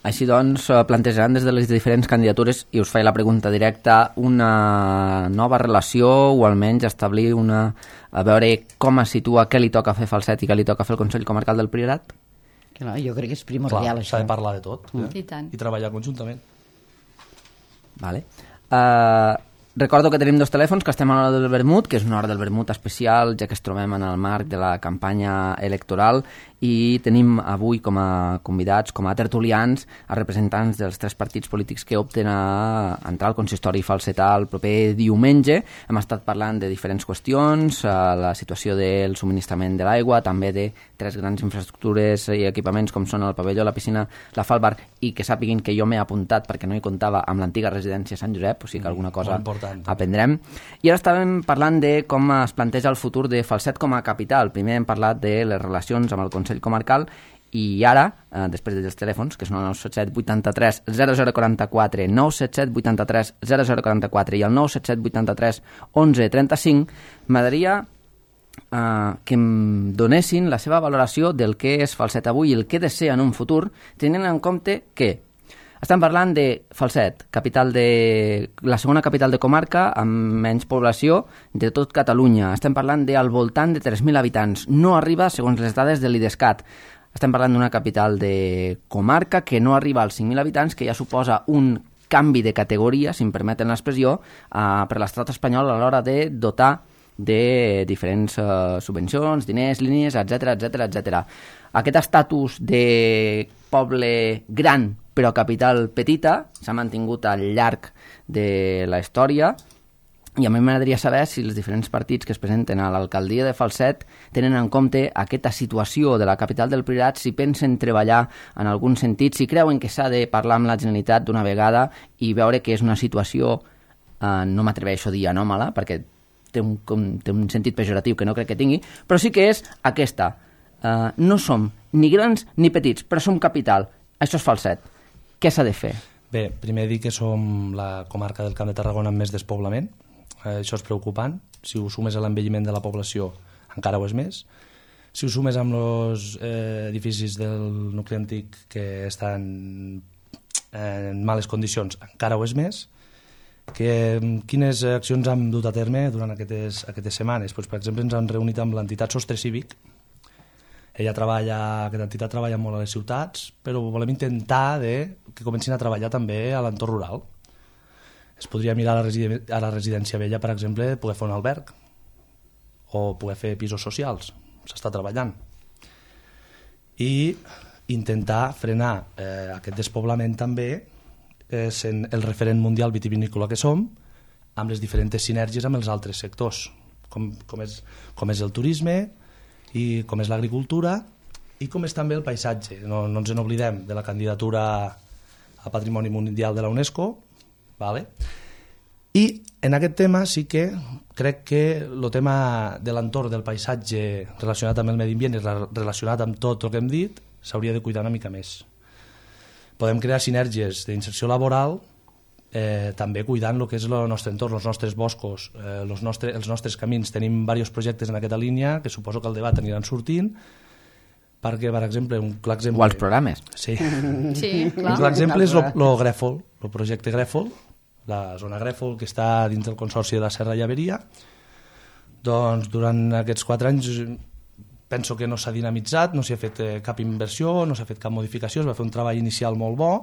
Així doncs, eh, plantejaran des de les diferents candidatures, i us faig la pregunta directa, una nova relació o almenys establir una... a veure com es situa, què li toca fer Falset i què li toca fer el Consell Comarcal del Priorat? Clar, jo crec que és primordial, Clar, això. s'ha de parlar de tot eh? I tant. i treballar conjuntament. Vale. Uh, recordo que tenim dos telèfons, que estem a l'hora del vermut, que és una hora del vermut especial, ja que es trobem en el marc de la campanya electoral, i tenim avui com a convidats, com a tertulians, a representants dels tres partits polítics que opten a entrar al consistori falsetà el proper diumenge. Hem estat parlant de diferents qüestions, uh, la situació del subministrament de l'aigua, també de tres grans infraestructures i equipaments com són el pavelló, la piscina, la Falbar, i que sàpiguin que jo m'he apuntat perquè no hi comptava amb l'antiga residència Sant Josep, o sigui que alguna cosa Molt important. aprendrem. I ara estàvem parlant de com es planteja el futur de Falset com a capital. Primer hem parlat de les relacions amb el Consell Comarcal i ara, eh, després dels telèfons, que són el nou set set vuitanta-tres zero zero quaranta-quatre, nou set set vuitanta-tres zero zero quaranta-quatre i el nou set set vuitanta-tres onze trenta-cinc, m'agradaria eh, que em donessin la seva valoració del que és Falset avui i el que desea en un futur, tenint en compte que estem parlant de Falset, capital de, la segona capital de comarca amb menys població de tot Catalunya. Estem parlant de al voltant de tres mil habitants. No arriba, segons les dades de l'IDESCAT. Estem parlant d'una capital de comarca que no arriba als cinc mil habitants, que ja suposa un canvi de categoria, si em permeten l'expressió, eh, per l'estat espanyol a l'hora de dotar de diferents eh, subvencions, diners, línies, etcètera, etcètera, etcètera. Aquest estatus de poble gran però capital petita s'ha mantingut al llarg de la història i a mi m'agradaria saber si els diferents partits que es presenten a l'alcaldia de Falset tenen en compte aquesta situació de la capital del Priorat, si pensen treballar en algun sentit, si creuen que s'ha de parlar amb la Generalitat d'una vegada i veure que és una situació, eh, no m'atreveixo a dir anòmala, perquè té un, com, té un sentit pejoratiu que no crec que tingui, però sí que és aquesta. Uh, no som ni grans ni petits, però som capital. Això és Falset. Què s'ha de fer? Bé, primer dir que som la comarca del Camp de Tarragona amb més despoblament. Eh, això és preocupant. Si ho sumes a l'envelliment de la població, encara ho és més. Si ho sumes amb els eh, edificis del nucli antic que estan en males condicions, encara ho és més. Que, quines accions hem dut a terme durant aquestes, aquestes setmanes? Pues, per exemple, ens hem reunit amb l'entitat Sostre Cívic. Ella treballa, aquesta entitat treballa molt a les ciutats, però volem intentar de, que comencin a treballar també a l'entorn rural. Es podria mirar a la, residen a la residència vella, per exemple, poder fer un alberg o poder fer pisos socials. S'està treballant. I intentar frenar eh, aquest despoblament també eh, sent el referent mundial vitivinícola que som, amb les diferents sinergies amb els altres sectors, com, com, és, com és el turisme, i com és l'agricultura i com és també el paisatge. No, no ens en oblidem de la candidatura a Patrimoni Mundial de la UNESCO, vale? I en aquest tema sí que crec que el tema de l'entorn del paisatge relacionat amb el medi ambient i relacionat amb tot el que hem dit s'hauria de cuidar una mica més. Podem crear sinergies d'inserció laboral Eh, també cuidant el que és el nostre entorn, els nostres boscos, eh, els, nostre, els nostres camins. Tenim diversos projectes en aquesta línia que suposo que el debat aniran sortint perquè, per exemple, un clar exemple... O els programes. Sí. Sí, clar. Un clar exemple és el Grèfol, el projecte Grèfol, la zona Grèfol que està dins del Consorci de la Serra Llaveria. Doncs durant aquests quatre anys penso que no s'ha dinamitzat, no s'ha fet eh, cap inversió, no s'ha fet cap modificació, es va fer un treball inicial molt bo.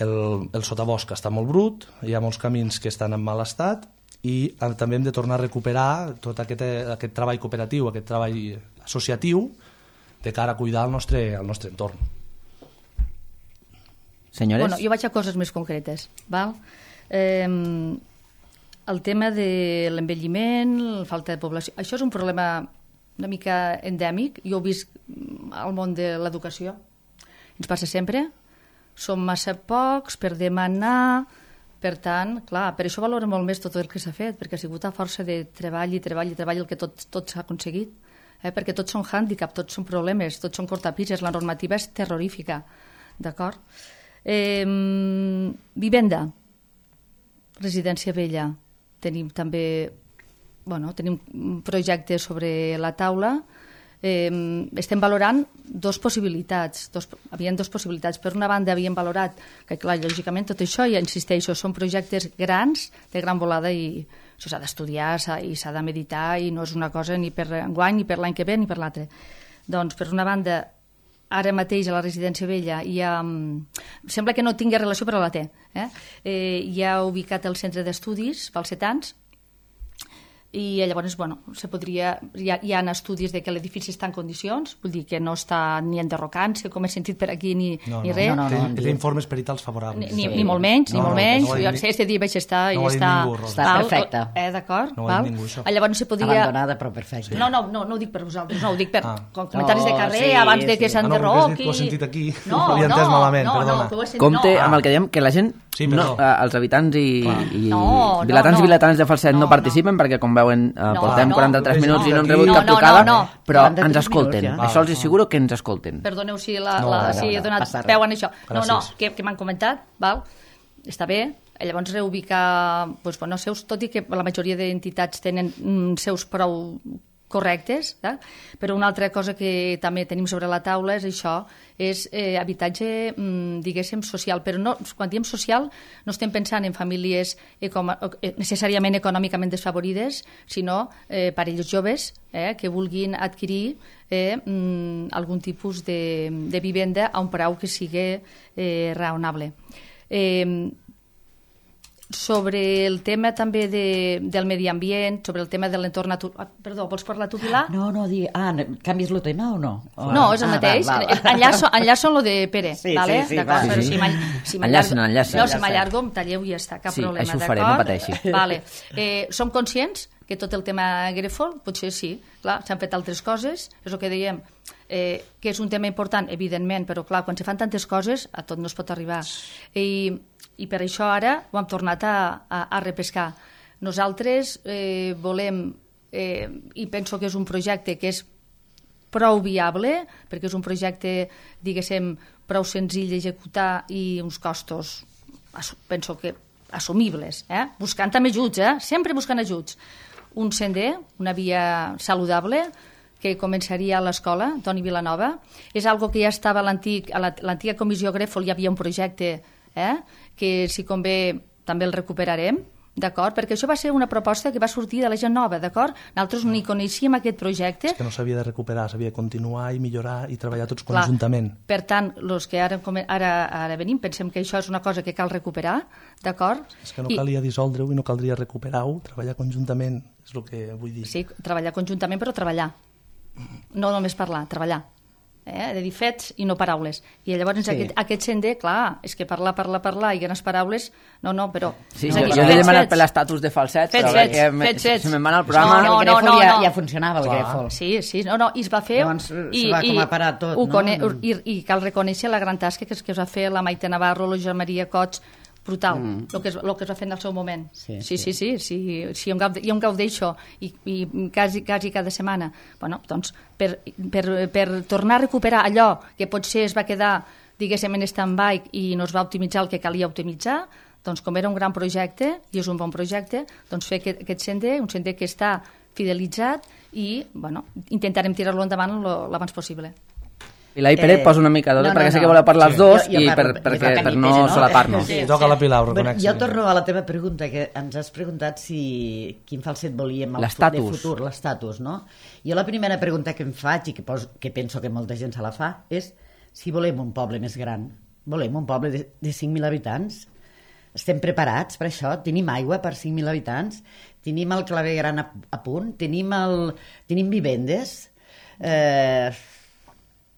El, el sotabosc està molt brut, hi ha molts camins que estan en mal estat i també hem de tornar a recuperar tot aquest, aquest treball cooperatiu, aquest treball associatiu de cara a cuidar el nostre, el nostre entorn. Senyores? Bueno, jo vaig a coses més concretes. Val? Eh, el tema de l'envelliment, la falta de població, això és un problema una mica endèmic. Jo ho he vist al món de l'educació. Ens passa sempre. Som massa pocs per demanar, per tant, clar, per això valoro molt més tot el que s'ha fet, perquè ha sigut a força de treball i treball i treball el que tot, tot s'ha aconseguit, eh? Perquè tots són hàndicap, tots són problemes, tots són cortapises, la normativa és terrorífica, d'acord? Eh, vivenda, residència vella, tenim també, bueno, tenim un projecte sobre la taula. Eh, estem valorant dos possibilitats, dos, havien dos possibilitats. Per una banda havíem valorat que, clar, lògicament tot això, ja insisteixo, són projectes grans, de gran volada, i això s'ha d'estudiar i s'ha de meditar i no és una cosa ni per enguany, ni per l'any que ve, ni per l'altre. Doncs, per una banda, ara mateix a la residència vella hi ha, sembla que no tingui relació però la té, eh? Eh, hi ha ubicat el centre d'estudis falsetans. i llavors, bueno, se podria, hi ha, hi ha estudis de que l'edifici està en condicions, vull dir que no està ni enderrocant-se, com he sentit per aquí, ni, no, ni no, res. No, no, no, té, té informes peritals favorables. Ni, ni, ni molt menys, ni no, molt no, menys. No jo sé, este dia vaig estar no i està... Ningú, està perfecte. Eh, d'acord? No ho ha dit ningú, això. Llavors se podria... Abandonada, però perfecte. Sí. No, no, no, no ho dic per vosaltres, no, ho dic per ah. comentaris no, de carrer, sí, abans de que sí. s'enderroqui... Ah, no, ho he sentit aquí, no, ho havia entès no, malament, no, perdona. No, que ho he sentit, compte no. amb el que diem, que la gent, sí, no, eh, els habitants i, i no, vilatans no, i vilatans de Falset no, no participen, perquè com veuen eh, no, portem no, quaranta-tres no, minuts no, i no hem no, rebut no, cap no, trucada, no, no. però quaranta-tres ens escolten. minuts, ja. Això els asseguro que ens escolten. Perdoneu si, la, No, la, no, si he no, donat passa res. peu en això. No, no, Gràcies. que, que m'han comentat, val? Està bé. Llavors reubicar, doncs, bueno, seus, tot i que la majoria d'entitats tenen mm, seus prou correctes, eh? Però una altra cosa que també tenim sobre la taula és això, és eh, habitatge, mm, diguéssim, social. Però no, quan diem social no estem pensant en famílies econo necessàriament econòmicament desfavorides, sinó eh, parelles joves eh, que vulguin adquirir eh, mm, algun tipus de, de vivenda a un preu que sigui eh, raonable. Eh, sobre el tema també de, del medi ambient, sobre el tema de l'entorn natural... Perdó, vols parlar tu, Pilar? No, no, digui... Ah, canvies el tema o no? O... No, és el ah, mateix. Va, va. Enllaço, enllaço en lo de Pere, sí, vale? Sí, sí, d'acord, va. però Sí, sí. si m'allargo... Si Enllacen, enllacen. No, si m'allargo, em talleu i ja està, cap Sí, problema, això ho d'acord? faré, no pateixi. Vale. Eh, som conscients que tot el tema Grefol, potser sí, clar, s'han fet altres coses, és el que dèiem, eh, que és un tema important, evidentment, però clar, quan se fan tantes coses, a tot no es pot arribar. I, i per això ara ho hem tornat a, a, a repescar. Nosaltres eh, volem, eh, i penso que és un projecte que és prou viable, perquè és un projecte, diguéssim, prou senzill d'executar i uns costos, penso que assumibles, eh? Buscant també ajuts, eh? Sempre buscant ajuts. Un sender, una via saludable, que començaria a l'escola, Toni Vilanova. És algo que ja estava a l'antiga comissió Grefol, hi havia un projecte eh? que, si convé, també el recuperarem, d'acord? Perquè això va ser una proposta que va sortir de la gent nova, d'acord? Nosaltres ni coneixíem aquest projecte. És que no s'havia de recuperar, s'havia de continuar i millorar i treballar tots Clar, conjuntament. Per tant, els que ara, ara, ara venim pensem que això és una cosa que cal recuperar, d'acord? És que no I, calia dissoldre-ho i no caldria recuperar-ho, treballar conjuntament, és el que vull dir. Sí, treballar conjuntament, però treballar. No només parlar, treballar. Eh? De dir fets i no paraules. I llavors sí. aquest, aquest sender, clar, és que parlar, parlar, parlar i grans paraules, no, no, però... Sí, és jo, dir, jo he demanat fets, per l'estatus de Falset, fets, però fets, que me, fets, fets. se me'n va anar al programa... No, no, el Grefol no, ja, no. ja funcionava, el Clar. Grefol. Sí, sí, no, no, i es va fer... Llavors i, se va com a parar tot, no? Cone, i, I cal reconèixer la gran tasca que es, que es va fer la Maite Navarro, la Joan Maria Cots, brutal, mm. el, que es, el que es va fer en el seu moment. Sí, sí, sí. sí, sí, sí, sí, sí jo, em gaude, jo em gaudeixo i, i quasi, quasi cada setmana. Bueno, doncs, per, per, per tornar a recuperar allò que potser es va quedar, diguéssim, en stand-by i no es va optimitzar el que calia optimitzar, doncs com era un gran projecte, i és un bon projecte, doncs fer aquest, aquest sender, un sender que està fidelitzat i, bueno, intentarem tirar-lo endavant l'abans possible. Pilar i Pere, Eh, posa una mica d'ordre, no, no, perquè sé no. que voleu parlar els Sí. dos Jo- jo i per, parlo- perquè, jo per parlo no més, no? solapar-nos. Sí. Sí, toca la Pilar, ho Bueno, reconec. jo torno a la teva pregunta, que ens has preguntat si quin falset volíem el fu- de L'estatus. futur, l'estatus, no? Jo la primera pregunta que em faig, i que, pos, que penso que molta gent se la fa, és si volem un poble més gran. Volem un poble de, de cinc mil habitants? Estem preparats per això? Tenim aigua per cinc mil habitants? Tenim el claver gran a, a punt? Tenim, el, tenim vivendes? Eh...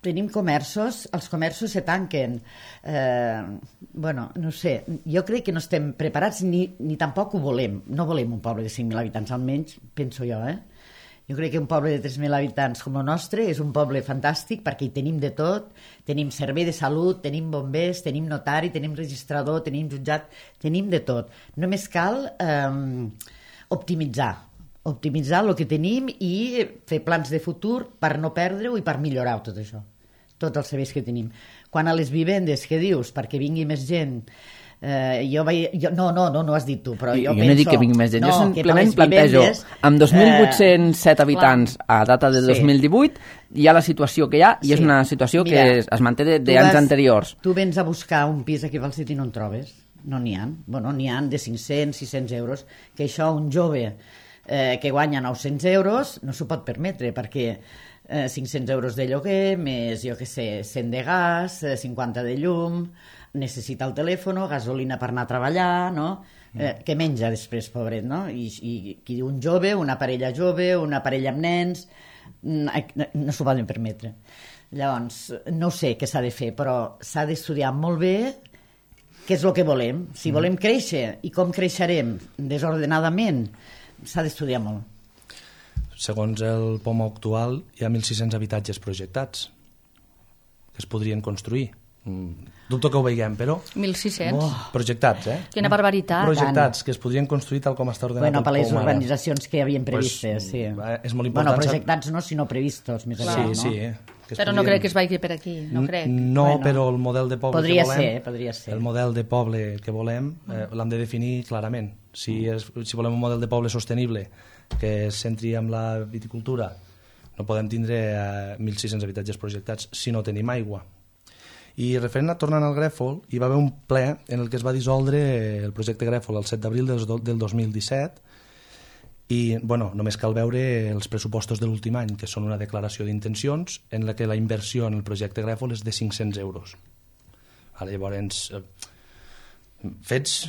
Tenim comerços, els comerços se tanquen. Eh, bueno, no sé, jo crec que no estem preparats ni, ni tampoc ho volem. No volem un poble de cinc mil habitants, almenys penso jo, eh? Jo crec que un poble de tres mil habitants com el nostre és un poble fantàstic perquè hi tenim de tot, tenim servei de salut, tenim bombers, tenim notari, tenim registrador, tenim jutjat, tenim de tot. Només cal eh, optimitzar, optimitzar el que tenim i fer plans de futur per no perdre-ho i per millorar tot això, tots els serveis que tenim. Quan a les vivendes, què dius? Perquè vingui més gent, eh, jo vaig... Jo, no, no, no, no ho has dit tu, però jo, Jo, jo penso... no dic que vingui més gent, no, jo que per simplement les plantejo, vivendes, amb dos mil vuit-cents set eh, habitants a data de Sí. dos mil divuit, hi ha la situació que hi ha i Sí. és una situació Mira, que es, es manté tu d'anys vas- anteriors. Tu vens a buscar un pis aquí a Falset i no en trobes. No n'hi ha. Bueno, n'hi ha de cinc-cents, sis-cents euros, que això un jove eh, que guanya nou-cents euros no s'ho pot permetre, perquè eh, cinc-cents euros de lloguer, més, jo què sé, cent de gas, eh, cinquanta de llum, necessita el telèfon, gasolina per anar a treballar, no? Eh, què menja després, pobret, no? I, i qui diu un jove, una parella jove, una parella amb nens, no, no s'ho poden permetre. Llavors, no sé què s'ha de fer, però s'ha d'estudiar molt bé què és el que volem. Si volem créixer i com creixerem desordenadament, s'ha d'estudiar molt. Segons el P O M actual, hi ha mil sis-cents habitatges projectats que es podrien construir. Dubto que ho veiem, però... mil sis-cents? Oh, projectats, eh? Quina barbaritat. Projectats, que es podrien construir tal com està ordenat Bueno, el per les P O M ara. urbanitzacions que havien previstes, Pues, sí. És molt important. Bueno, projectats no, sinó previstos, més Sí, aviat, no? sí, eh? Que es Però no podien- crec que es vagi per aquí, no crec. No, Bueno, però el model de poble podria que volem... ser, podria ser. El model de poble que volem eh, l'hem de definir clarament. Si, és, si volem un model de poble sostenible que es centri en la viticultura, no podem tindre eh, mil sis-cents habitatges projectats si no tenim aigua. I referent a tornant al Grèfol, hi va haver un ple en el que es va dissoldre el projecte Grèfol el set d'abril del, del dos mil disset i bueno, només cal veure els pressupostos de l'últim any, que són una declaració d'intencions en la que la inversió en el projecte Grèfol és de cinc-cents euros. Ara, llavors, eh, fets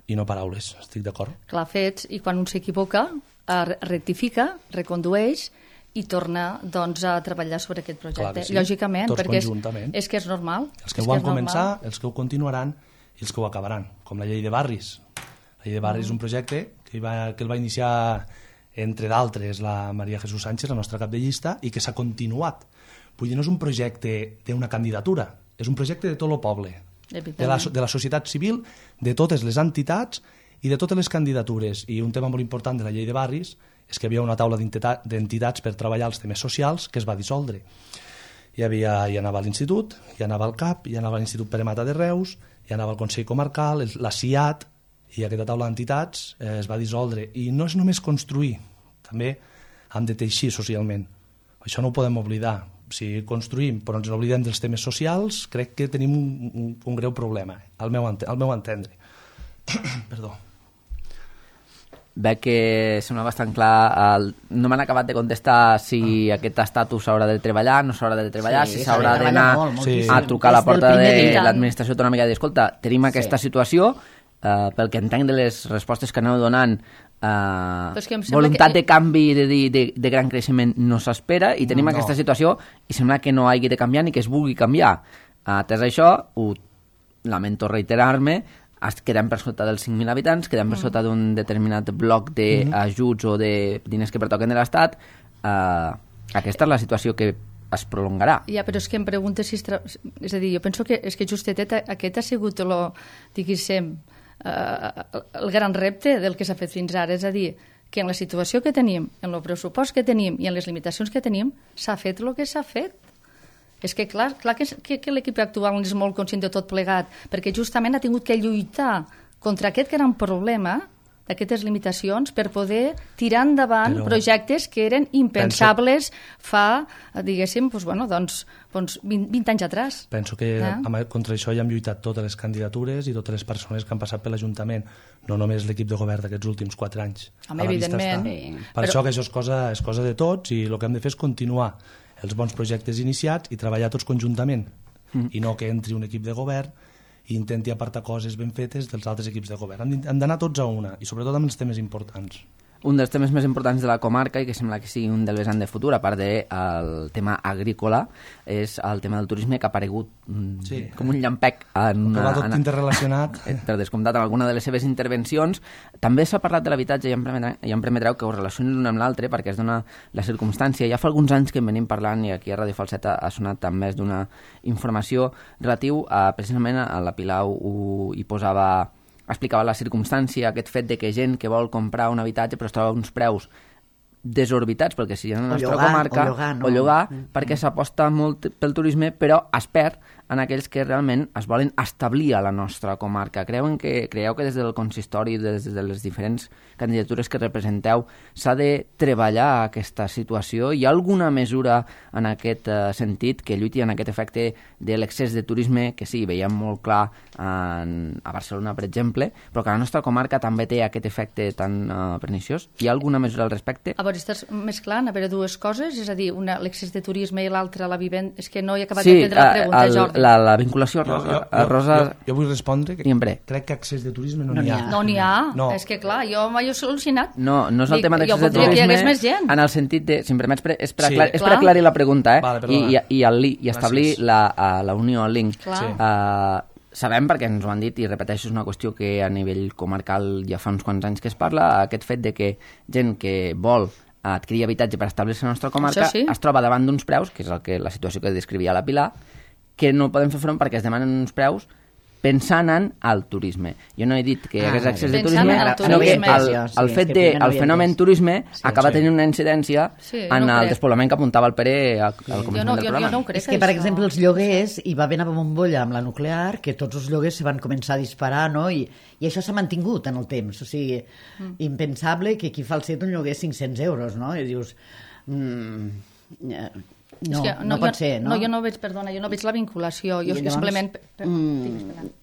i no paraules, estic d'acord? Clar, fets, i quan un s'equivoca, eh, rectifica, recondueix i torna doncs, a treballar sobre aquest projecte. Clar que sí. Lògicament, Tots perquè és, conjuntament. és que és normal. Els que és ho van és començar, normal. els que ho continuaran i els que ho acabaran, com la llei de barris. La llei de barris és un projecte que, va, que el va iniciar, entre d'altres, la Maria Jesús Sánchez, la nostra cap de llista, i que s'ha continuat. Vull dir, no és un projecte d'una candidatura, és un projecte de tot el poble, de la, de la societat civil, de totes les entitats i de totes les candidatures. I un tema molt important de la llei de barris és que hi havia una taula d'entitats per treballar els temes socials que es va dissoldre. Hi, havia, hi anava a l'Institut, hi anava al C A P, hi anava a l'Institut Pere Mata de Reus, hi anava al Consell Comarcal, la C I A T, i aquesta taula d'entitats eh, es va dissoldre. I no és només construir, també hem de teixir socialment. Això no ho podem oblidar. Si construïm però ens oblidem dels temes socials, crec que tenim un, un, un greu problema, al meu, al meu entendre. Perdó. Veig que sembla bastant clar. El... No m'han acabat de contestar si ah. aquest estatus s'haurà de treballar, no s'haurà de treballar, Sí, si s'haurà s'ha de d'anar treballar molt, Sí. a trucar a la Des del porta primer de dia. l'administració autonòmica i dir, escolta, tenim aquesta Sí. situació, eh, pel que entenc de les respostes que aneu donant, eh, és que em sembla voluntat que- de canvi de, de, de, de gran creixement no s'espera i tenim No. aquesta situació i sembla que no hagi de canviar ni que es vulgui canviar. Atès això, ho lamento reiterar-me, es quedem per sota dels cinc mil habitants, quedem per sota d'un determinat bloc d'ajuts o de diners que pertoquen de l'Estat. Eh, aquesta és la situació que es prolongarà. Ja, però és que em pregunta si... Es tra... És a dir, jo penso que, és que justet aquest ha sigut lo, diguéssim, eh, el gran repte del que s'ha fet fins ara. És a dir, que en la situació que tenim, en el pressupost que tenim i en les limitacions que tenim, s'ha fet el que s'ha fet. És que clar, clar que, que, que l'equip actual és molt conscient de tot plegat, perquè justament ha tingut que lluitar contra aquest gran problema d'aquestes limitacions per poder tirar endavant Però... projectes que eren impensables fa, diguéssim, doncs, bueno, doncs, doncs vint, vint anys atràs. Penso que Eh? amb, contra això hi han lluitat totes les candidatures i totes les persones que han passat per l'Ajuntament, no només l'equip de govern d'aquests últims quatre anys. Home, A la vista evidentment. està. Sí. Per Però- això que això és cosa, és cosa de tots i el que hem de fer és continuar els bons projectes iniciats i treballar tots conjuntament mm. i no que entri un equip de govern i intenti apartar coses ben fetes dels altres equips de govern. Hem d'in- hem d'anar tots a una i sobretot amb els temes importants. Un dels temes més importants de la comarca i que sembla que sigui un del vessant de futur, a part del tema agrícola, és el tema del turisme que ha aparegut mm, Sí. com un llampec en Que una, va tot en, interrelacionat. eh, per descomptat en alguna de les seves intervencions. També s'ha parlat de l'habitatge i em permetreu, i em permetreu que ho relacioni l'un amb l'altre perquè es dona la circumstància. Ja fa alguns anys que en venim parlant i aquí a Ràdio Falset ha, ha sonat amb més d'una informació relatiu a, precisament a la Pilar ho, hi posava, explicava la circumstància, aquest fet de que gent que vol comprar un habitatge però es troba uns preus desorbitats, perquè si en la O nostra llogar, comarca o llogar, no? o llogar Mm. perquè s'aposta molt pel turisme però es perd en aquells que realment es volen establir a la nostra comarca. Creuen que, creieu que des del consistori, des de les diferents candidatures que representeu, s'ha de treballar aquesta situació? Hi ha alguna mesura en aquest uh, sentit que lluiti en aquest efecte de l'excés de turisme, que sí, veiem molt clar en, a Barcelona, per exemple, però que la nostra comarca també té aquest efecte tan uh, perniciós? Hi ha alguna mesura al respecte? A veure, estàs mesclant a veure dues coses, és a dir, una l'excés de turisme i l'altra la vivent... És que no he acabat sí, d'entendre la pregunta, el, Jordi. La, la vinculació a Rosa... Jo, jo, a Rosa... jo, jo vull respondre que Sempre. crec que accés de turisme no No n'hi n'hi ha. ha. No n'hi ha, No. és que clar, jo m'he solucionat. No, no és el Dic, tema jo d'accés de voldria que hi turisme hagués més gent. en el sentit de... Si em permets, pre- és per, Sí. aclar, és per Clar. aclarir la pregunta, eh? Vale, I, perdona. i, i, el, li- i establir Gràcies. la, uh, la unió, el link. Clar. Sí. Uh, sabem, perquè ens ho han dit, i repeteixo, és una qüestió que a nivell comarcal ja fa uns quants anys que es parla, aquest fet de que gent que vol adquirir habitatge per establir-se a la nostra comarca Això sí. es troba davant d'uns preus, que és el que, la situació que descrivia la Pilar, que no poden fer front perquè es demanen uns preus pensant en el turisme. Jo no he dit que hi Ah, hagués accés de pensant turisme, en el sinó que turisme. el, Sí, el és fet que de, primer no el havia fenomen entès. turisme Sí, acaba sí. tenint una incidència Sí, en no el crec. despoblament que apuntava el Pere al, al Jo començament no, del jo, programa. jo no ho crec. És que, per això. exemple, els lloguers, hi va haver una bombolla amb la nuclear, que tots els lloguers se van començar a disparar, no? I, i això s'ha mantingut en el temps. O sigui, mm. impensable que aquí falset un lloguer cinc-cents euros, no? I dius... Mm, eh, no, És que no, pot jo, ser, no? No, jo no veig, perdona, jo no veig la vinculació. Jo I és que llavors, simplement... Per, per, mm, digues, espera.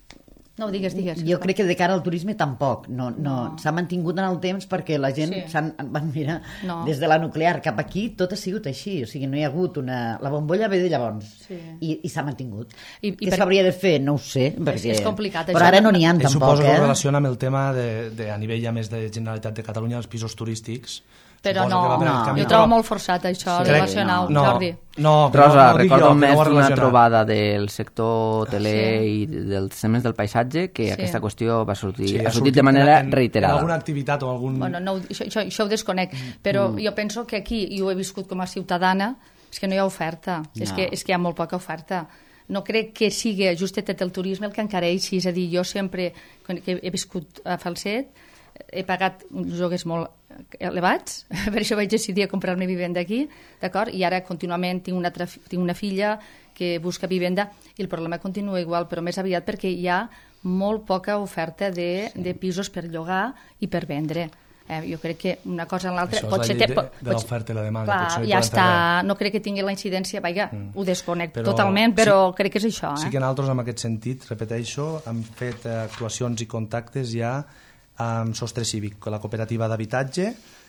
No, digues, digues. Jo crec que de cara al turisme tampoc. No, no. No. S'ha mantingut en el temps perquè la gent Sí. s'han van mirar No. des de la nuclear cap aquí, tot ha sigut així. O sigui, no hi ha hagut una... La bombolla ve de llavors. Sí. I, i s'ha mantingut. I- i Què per- s'hauria de fer? No ho sé. Perquè... és complicat, Però això. ara no n'hi ha Ell tampoc, suposo que eh? ho relaciona amb el tema de, de, a nivell ja més de Generalitat de Catalunya, els pisos turístics. Però Suposo no, que va per no. aquest camí, jo però- trobo molt forçat això, Sí, relacionar-ho, no, Jordi. No, Rosa, no, no ho dic recordo jo, que més no ho ha d'una relacionat. trobada del sector hoteler Sí. i dels temes del paisatge que Sí. aquesta qüestió va sortir, Sí, ha sortit de manera en, reiterada. En alguna activitat o algun... Bueno, no, ho- això, això, això ho desconec, però mm. jo penso que aquí, i ho he viscut com a ciutadana, és que no hi ha oferta, no. és, que, és que hi ha molt poca oferta. No crec que sigui justet el turisme el que encareixi, és a dir, jo sempre, quan que he viscut a Falset, he pagat uns lloguers molt elevats, per això vaig decidir a comprar-me vivenda aquí, d'acord? I ara contínuament tinc una, altra, tinc una filla que busca vivenda i el problema continua igual, però més aviat perquè hi ha molt poca oferta de, sí. de pisos per llogar i per vendre. Eh, jo crec que una cosa en l'altra... Això és pot la ser, llei te- de, pot- de l'oferta i la demanda. Clar, potser no hi ja poden està, fer res. no crec que tingui la incidència, vaja, mm. ho desconec Però totalment, però sí- crec que és això. Eh? Sí que nosaltres, en aquest sentit, repeteixo, hem fet eh, actuacions i contactes ja amb Sostre Cívic, la cooperativa d'habitatge,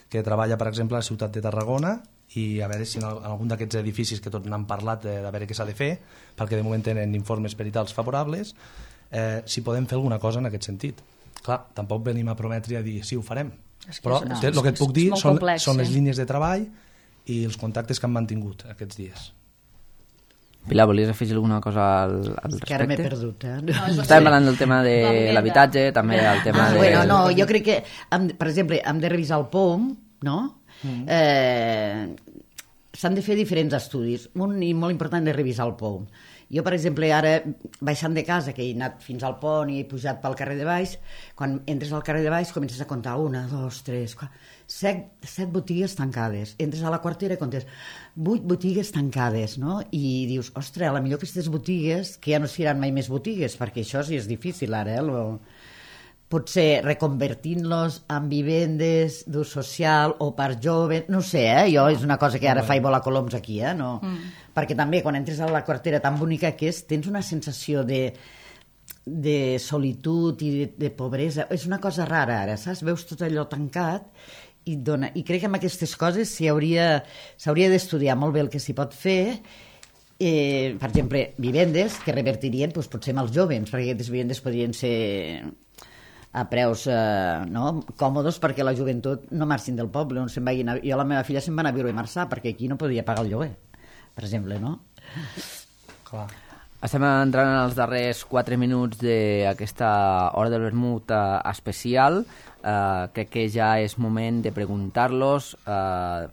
que treballa, per exemple, a la ciutat de Tarragona, i a veure si en algun d'aquests edificis que tots n'han parlat de, de veure què s'ha de fer, perquè de moment tenen informes peritals favorables, eh, si podem fer alguna cosa en aquest sentit. Clar, tampoc venim a prometre i a dir sí, ho farem. És que Però és- no, el que et puc és dir molt són, complex, són les sí. línies de treball i els contactes que han mantingut aquests dies. Pilar, volies afegir alguna cosa al, al Que ara m'he respecte? perdut, eh? No, és Estàvem parlant del tema de Va, vinga. l'habitatge, també el tema Ah, de... bueno, no, jo crec que, hem, per exemple, hem de revisar el P O M, no? Mm. Eh, s'han de fer diferents estudis. Un i molt important és revisar el P O M. Jo, per exemple, ara, baixant de casa, que he anat fins al pont i he pujat pel carrer de baix, quan entres al carrer de baix comences a comptar una, dos, tres, quatre, set, set botigues tancades. Entres a la quartera i comptes vuit botigues tancades, no? I dius, ostres, a la millor aquestes botigues, que ja no seran mai més botigues, perquè això sí és difícil ara, eh? Lo... potser reconvertint-los en vivendes d'ús social o per joves, no sé, eh? Jo és una cosa que ara faig volar coloms aquí, eh? No. Mm. Perquè també quan entres a la quartera tan bonica que és, tens una sensació de, de solitud i de, de pobresa. És una cosa rara ara, saps? Veus tot allò tancat i, dona... I crec que amb aquestes coses s'hauria s'hauria d'estudiar molt bé el que s'hi pot fer. Eh, per exemple, vivendes que revertirien doncs, potser amb els joves, perquè aquestes vivendes podrien ser a preus eh, no, còmodes perquè la joventut no marxin del poble, on se'n vagin a... Jo la meva filla se'n va anar a viure a Marçà perquè aquí no podia pagar el lloguer, per exemple, no? Clar. Estem entrant en els darrers quatre minuts d'aquesta hora del vermut eh, especial. Eh, crec que ja és moment de preguntar-los, eh,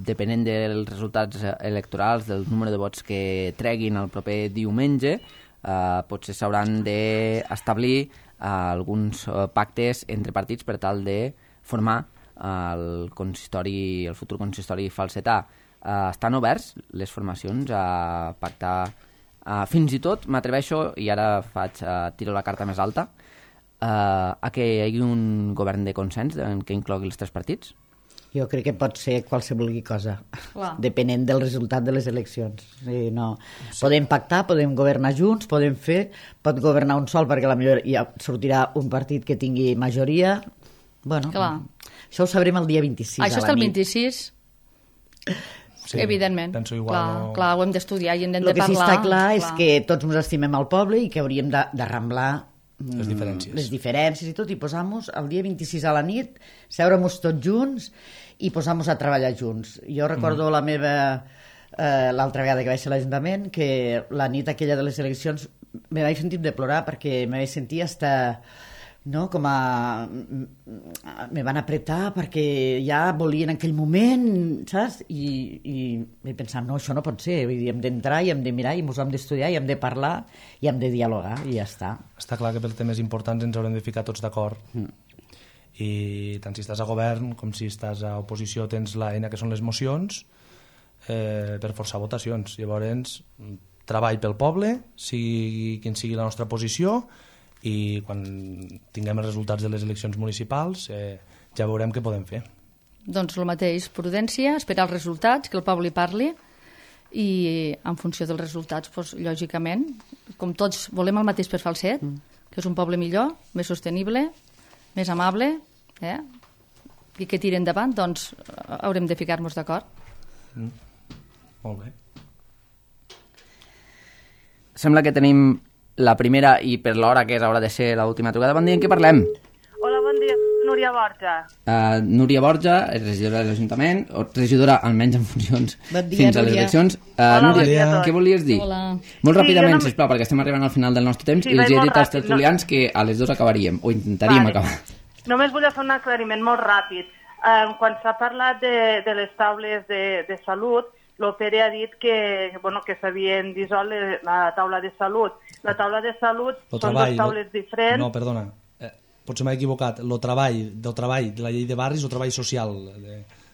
depenent dels resultats electorals, del número de vots que treguin el proper diumenge, eh, potser s'hauran d'establir eh, alguns eh, pactes entre partits per tal de formar el consistori, el futur consistori falsetà. Eh, estan oberts les formacions a pactar Uh, fins i tot m'atreveixo, i ara faig uh, tiro la carta més alta, uh, a que hi hagi un govern de consens en què inclogui els tres partits? Jo crec que pot ser qualsevol cosa, Clar. depenent del resultat de les eleccions. Sí, no. Podem pactar, podem governar junts, podem fer, pot governar un sol perquè potser ja sortirà un partit que tingui majoria. Bueno, Clar. això ho sabrem el dia vint-i-sis Això a la està el nit. vint-i-sis, Sí, evidentment. penso igual, clar, no- clar, ho hem d'estudiar i en hem El de que sí parlar. està clar és que tots ens estimem al poble i que hauríem de, de ramblar mm, Les diferències. les diferències i tot, i posar-nos el dia vint-i-sis a la nit, seure-nos tots junts i posar-nos a treballar junts. Jo recordo mm. la meva... Eh, l'altra vegada que vaig ser a l'Ajuntament, que la nit aquella de les eleccions me vaig sentir de plorar perquè me vaig sentir hasta... no, com a... me van apretar perquè ja volien en aquell moment, saps? I, i vaig pensar, no, això no pot ser, vull dir, hem d'entrar i hem de mirar i ens hem d'estudiar i hem de parlar i hem de dialogar i ja està. Està clar que per temes importants ens haurem de ficar tots d'acord. Mm. I tant si estàs a govern com si estàs a oposició tens l'eina que són les mocions eh, per forçar votacions. Llavors, treball pel poble, sigui quin sigui la nostra posició, i quan tinguem els resultats de les eleccions municipals eh, ja veurem què podem fer. Doncs el mateix, prudència, esperar els resultats, que el poble hi parli, i en funció dels resultats, doncs, lògicament, com tots volem el mateix per Falset, mm. que és un poble millor, més sostenible, més amable, eh? i que tiri endavant, doncs haurem de ficar-nos d'acord. Mm. Molt bé. Sembla que tenim la primera, i per l'hora que és, haurà de ser l'última trucada. Bon dia, en què parlem? Hola, bon dia, Núria Borja. Uh, Núria Borja, és regidora de l'Ajuntament, o regidora almenys en funcions Bon dia, fins a les Núria. eleccions. Uh, Hola, Núria, bon dia a tots. què volies dir? Hola. Molt Sí, ràpidament, jo no- sisplau, perquè estem arribant al final del nostre temps, Sí, i els vaig he molt dit als ràpid, tertulians no? que a les dues acabaríem, o intentaríem Vale. acabar. Només volia fer un aclariment molt ràpid. Eh, quan s'ha parlat de, de les taules de, de salut, l'Opere ha dit que, bueno, que s'havien dissolt le- la taula de salut. La taula de salut Lo són treball, dues taules lo- diferents. No, perdona. Eh, potser m'he equivocat. El treball, del treball de la llei de barris o treball social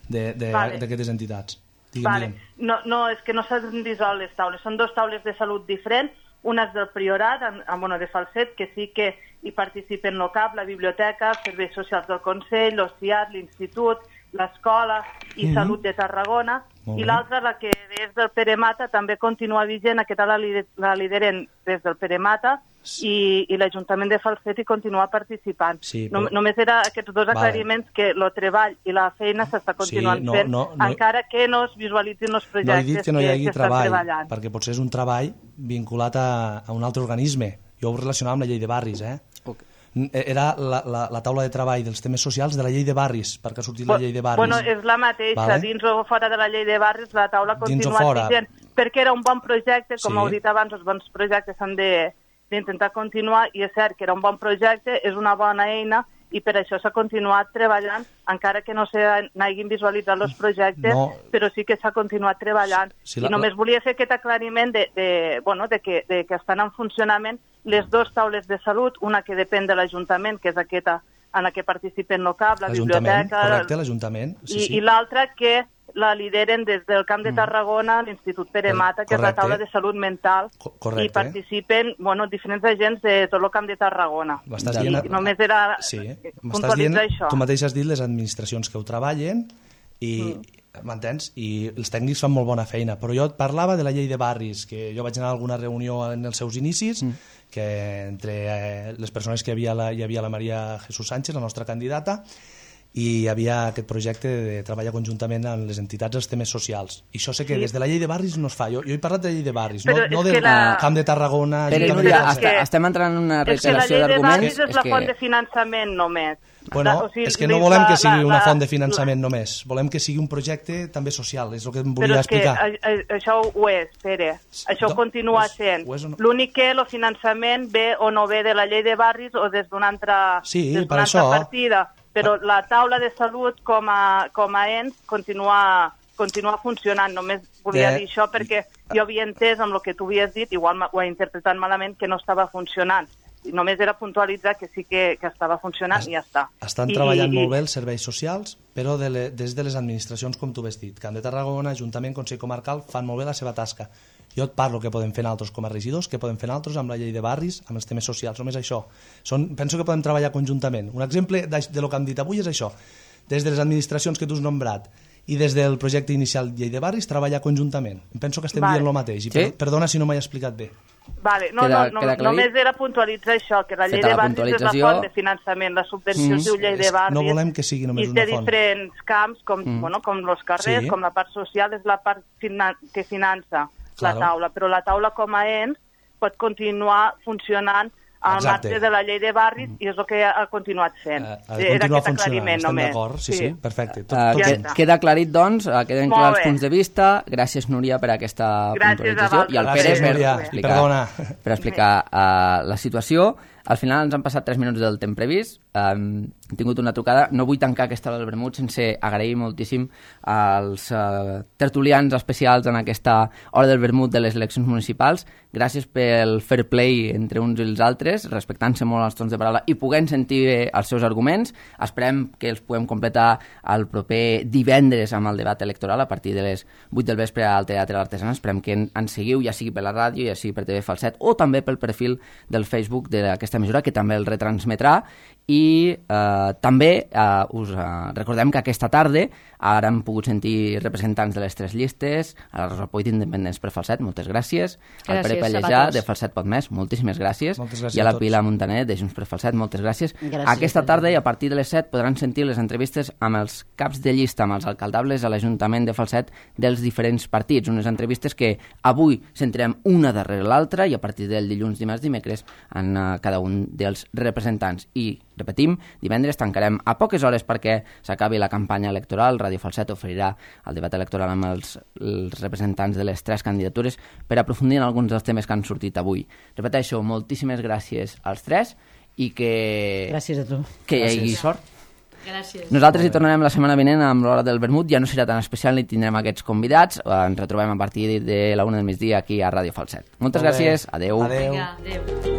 d'aquestes Vale. entitats. Digue'm, Vale. digue'm. No, no, és que no s'han dissolt les taules. Són dues taules de salut diferents. Una és del Priorat, en, en, bueno, de Falset, que sí que hi participen l'O C A P, la biblioteca, els serveis socials del Consell, l'O C I A T, l'Institut, l'escola i Mhm. Salut de Tarragona. Molt I bé. l'altra, la que és del Pere Mata, també continua vigent. Aquesta la, lider, la lideren des del Pere Mata i, i l'Ajuntament de Falset hi continua participant. Sí, no, però- només era aquests dos Vale. aclariments, que el treball i la feina s'està continuant Sí, no, fent, no, no- encara que no es visualitzin els No he projectes dit que no hi hagi s'estan treball, treballant. perquè potser és un treball vinculat a, a un altre organisme. Jo ho relacionava amb la llei de barris, eh? Okay. Era la, la, la taula de treball dels temes socials de la llei de barris, perquè ha sortit la llei de barris. Bueno, és la mateixa, Vale. dins o fora de la llei de barris, la taula ha Dins o continuat fora. vigent, perquè era un bon projecte, com Sí. heu dit abans, els bons projectes s'han de- d'intentar continuar, i és cert que era un bon projecte, és una bona eina, i per això s'ha continuat treballant, encara que no se n'hagin visualitzat els projectes, No. però sí que s'ha continuat treballant. Sí, la- I només volia fer aquest aclariment de, de, bueno, de, que, de que estan en funcionament les dues taules de salut, una que depèn de l'Ajuntament, que és aquesta en la que participen l'O C A P, la L'Ajuntament, biblioteca... correcte, l'Ajuntament. Sí, I, sí. i l'altra que la lideren des del Camp de Tarragona, l'Institut Pere Mata, que és la Correcte. taula de salut mental, Co- correcte. i participen bueno, diferents agents de tot el Camp de Tarragona. M'estàs I dient... I només era Sí, eh, m'estàs dient, puntualitzar això. tu mateix has dit les administracions que ho treballen i, Mm. m'entens? I els tècnics fan molt bona feina, però jo et parlava de la llei de barris, que jo vaig anar a alguna reunió en els seus inicis, mm. que entre eh, les persones que hi havia, la, hi havia la Maria Jesús Sánchez, la nostra candidata, i hi havia aquest projecte de treballar conjuntament amb les entitats dels temes socials. I això sé que Sí. des de la llei de barris no es fa. Jo, jo he parlat de la llei de barris, Però no, és no que del la- Camp de Tarragona... Pere, Ajuntament Núria, de és està, que- estem entrant en una És que la reiteració llei de d'arguments. barris és la que... font de finançament només. Bueno, O sigui, és que no la- volem que la- sigui una la- font de finançament només, volem que sigui un projecte també social, és el que em Però volia és que explicar. a, a, això ho és, Pere. Això Do- continua és- sent. ho és o no? L'únic que el finançament ve o no ve de la llei de barris o des d'una altra, Sí, des per d'una altra això. partida. Però la taula de salut com a, com a ens continua, continua funcionant. Només volia De- dir això perquè jo havia entès amb el que tu havies dit, igual ma- ho he interpretat malament, que no estava funcionant. I només era puntualitzar que sí que, que estava funcionant i ja està. Estan I, treballant i, molt bé els serveis socials, però de le, des de les administracions, com tu has dit. Camp de Tarragona, Ajuntament, Consell Comarcal, fan molt bé la seva tasca. Jo et parlo què podem fer nosaltres com a regidors, què podem fer nosaltres amb la llei de barris, amb els temes socials, només això. Són, penso que podem treballar conjuntament. Un exemple de, de lo que hem dit avui és això. Des de les administracions que tu has nombrat i des del projecte inicial llei de barris, treballar conjuntament. Penso que estem vale. dient el mateix. I per, sí? Perdona si no m'he explicat bé. Vale, no, queda, no, no, només era puntualitzar això, que la llei de barris és la font de finançament, la subvenció mm. es diu llei de barris, no volem que sigui només i una té font. diferents camps, com, mm. bueno, com els carrers, sí. com la part social, és la part finan que finança claro. la taula, però la taula com a ens pot continuar funcionant al marge de la llei de barris i és el que ha continuat fent. Uh, ha de continuar funcionant, estem d'acord, sí, sí, sí, perfecte. Tot, uh, tot ja queda aclarit, doncs, uh, queden clars els punts de vista. Gràcies, Núria, per aquesta Gràcies puntualització. I al Pere per explicar, Perdona. per explicar uh, la situació. Al final ens han passat tres minuts del temps previst. Um, hem tingut una trucada. No vull tancar aquesta hora del vermut sense agrair moltíssim als uh, tertulians especials en aquesta hora del vermut de les eleccions municipals. Gràcies pel fair play entre uns i els altres, respectant-se molt els tons de paraula i podent sentir els seus arguments. Esperem que els puguem completar el proper divendres amb el debat electoral a partir de les vuit del vespre al Teatre L'Artesana. Esperem que ens seguiu, ja sigui per la ràdio, ja sigui per T V Falset o també pel perfil del Facebook d'aquesta mesura, que també el retransmetrà. I eh, també eh, us eh, recordem que aquesta tarda ara hem pogut sentir representants de les tres llistes, a la Rosa Poit d'Independents per Falset, moltes gràcies, gràcies al Pere Pallejà de Falset Pot Més, moltíssimes gràcies, moltes gràcies i a la Pilar Montaner de Junts per Falset, moltes gràcies. gràcies aquesta tarda i a partir de les set podran sentir les entrevistes amb els caps de llista, amb els alcaldables a l'Ajuntament de Falset dels diferents partits, unes entrevistes que avui centrem una darrere l'altra i a partir del dilluns, dimarts, dimecres en uh, cada un dels representants. I repetim, divendres tancarem a poques hores perquè s'acabi la campanya electoral. Ràdio Falset oferirà el debat electoral amb els, els representants de les tres candidatures per aprofundir en alguns dels temes que han sortit avui. Repeteixo, moltíssimes gràcies als tres i que... Gràcies a tu. Que hi hagi sort. Gràcies. Nosaltres hi tornarem la setmana vinent amb l'hora del vermut. Ja no serà tan especial ni tindrem aquests convidats. Ens retrobem a partir de la una del migdia aquí a Ràdio Falset. Moltes gràcies. Adeu. Adeu. Vinga, adeu.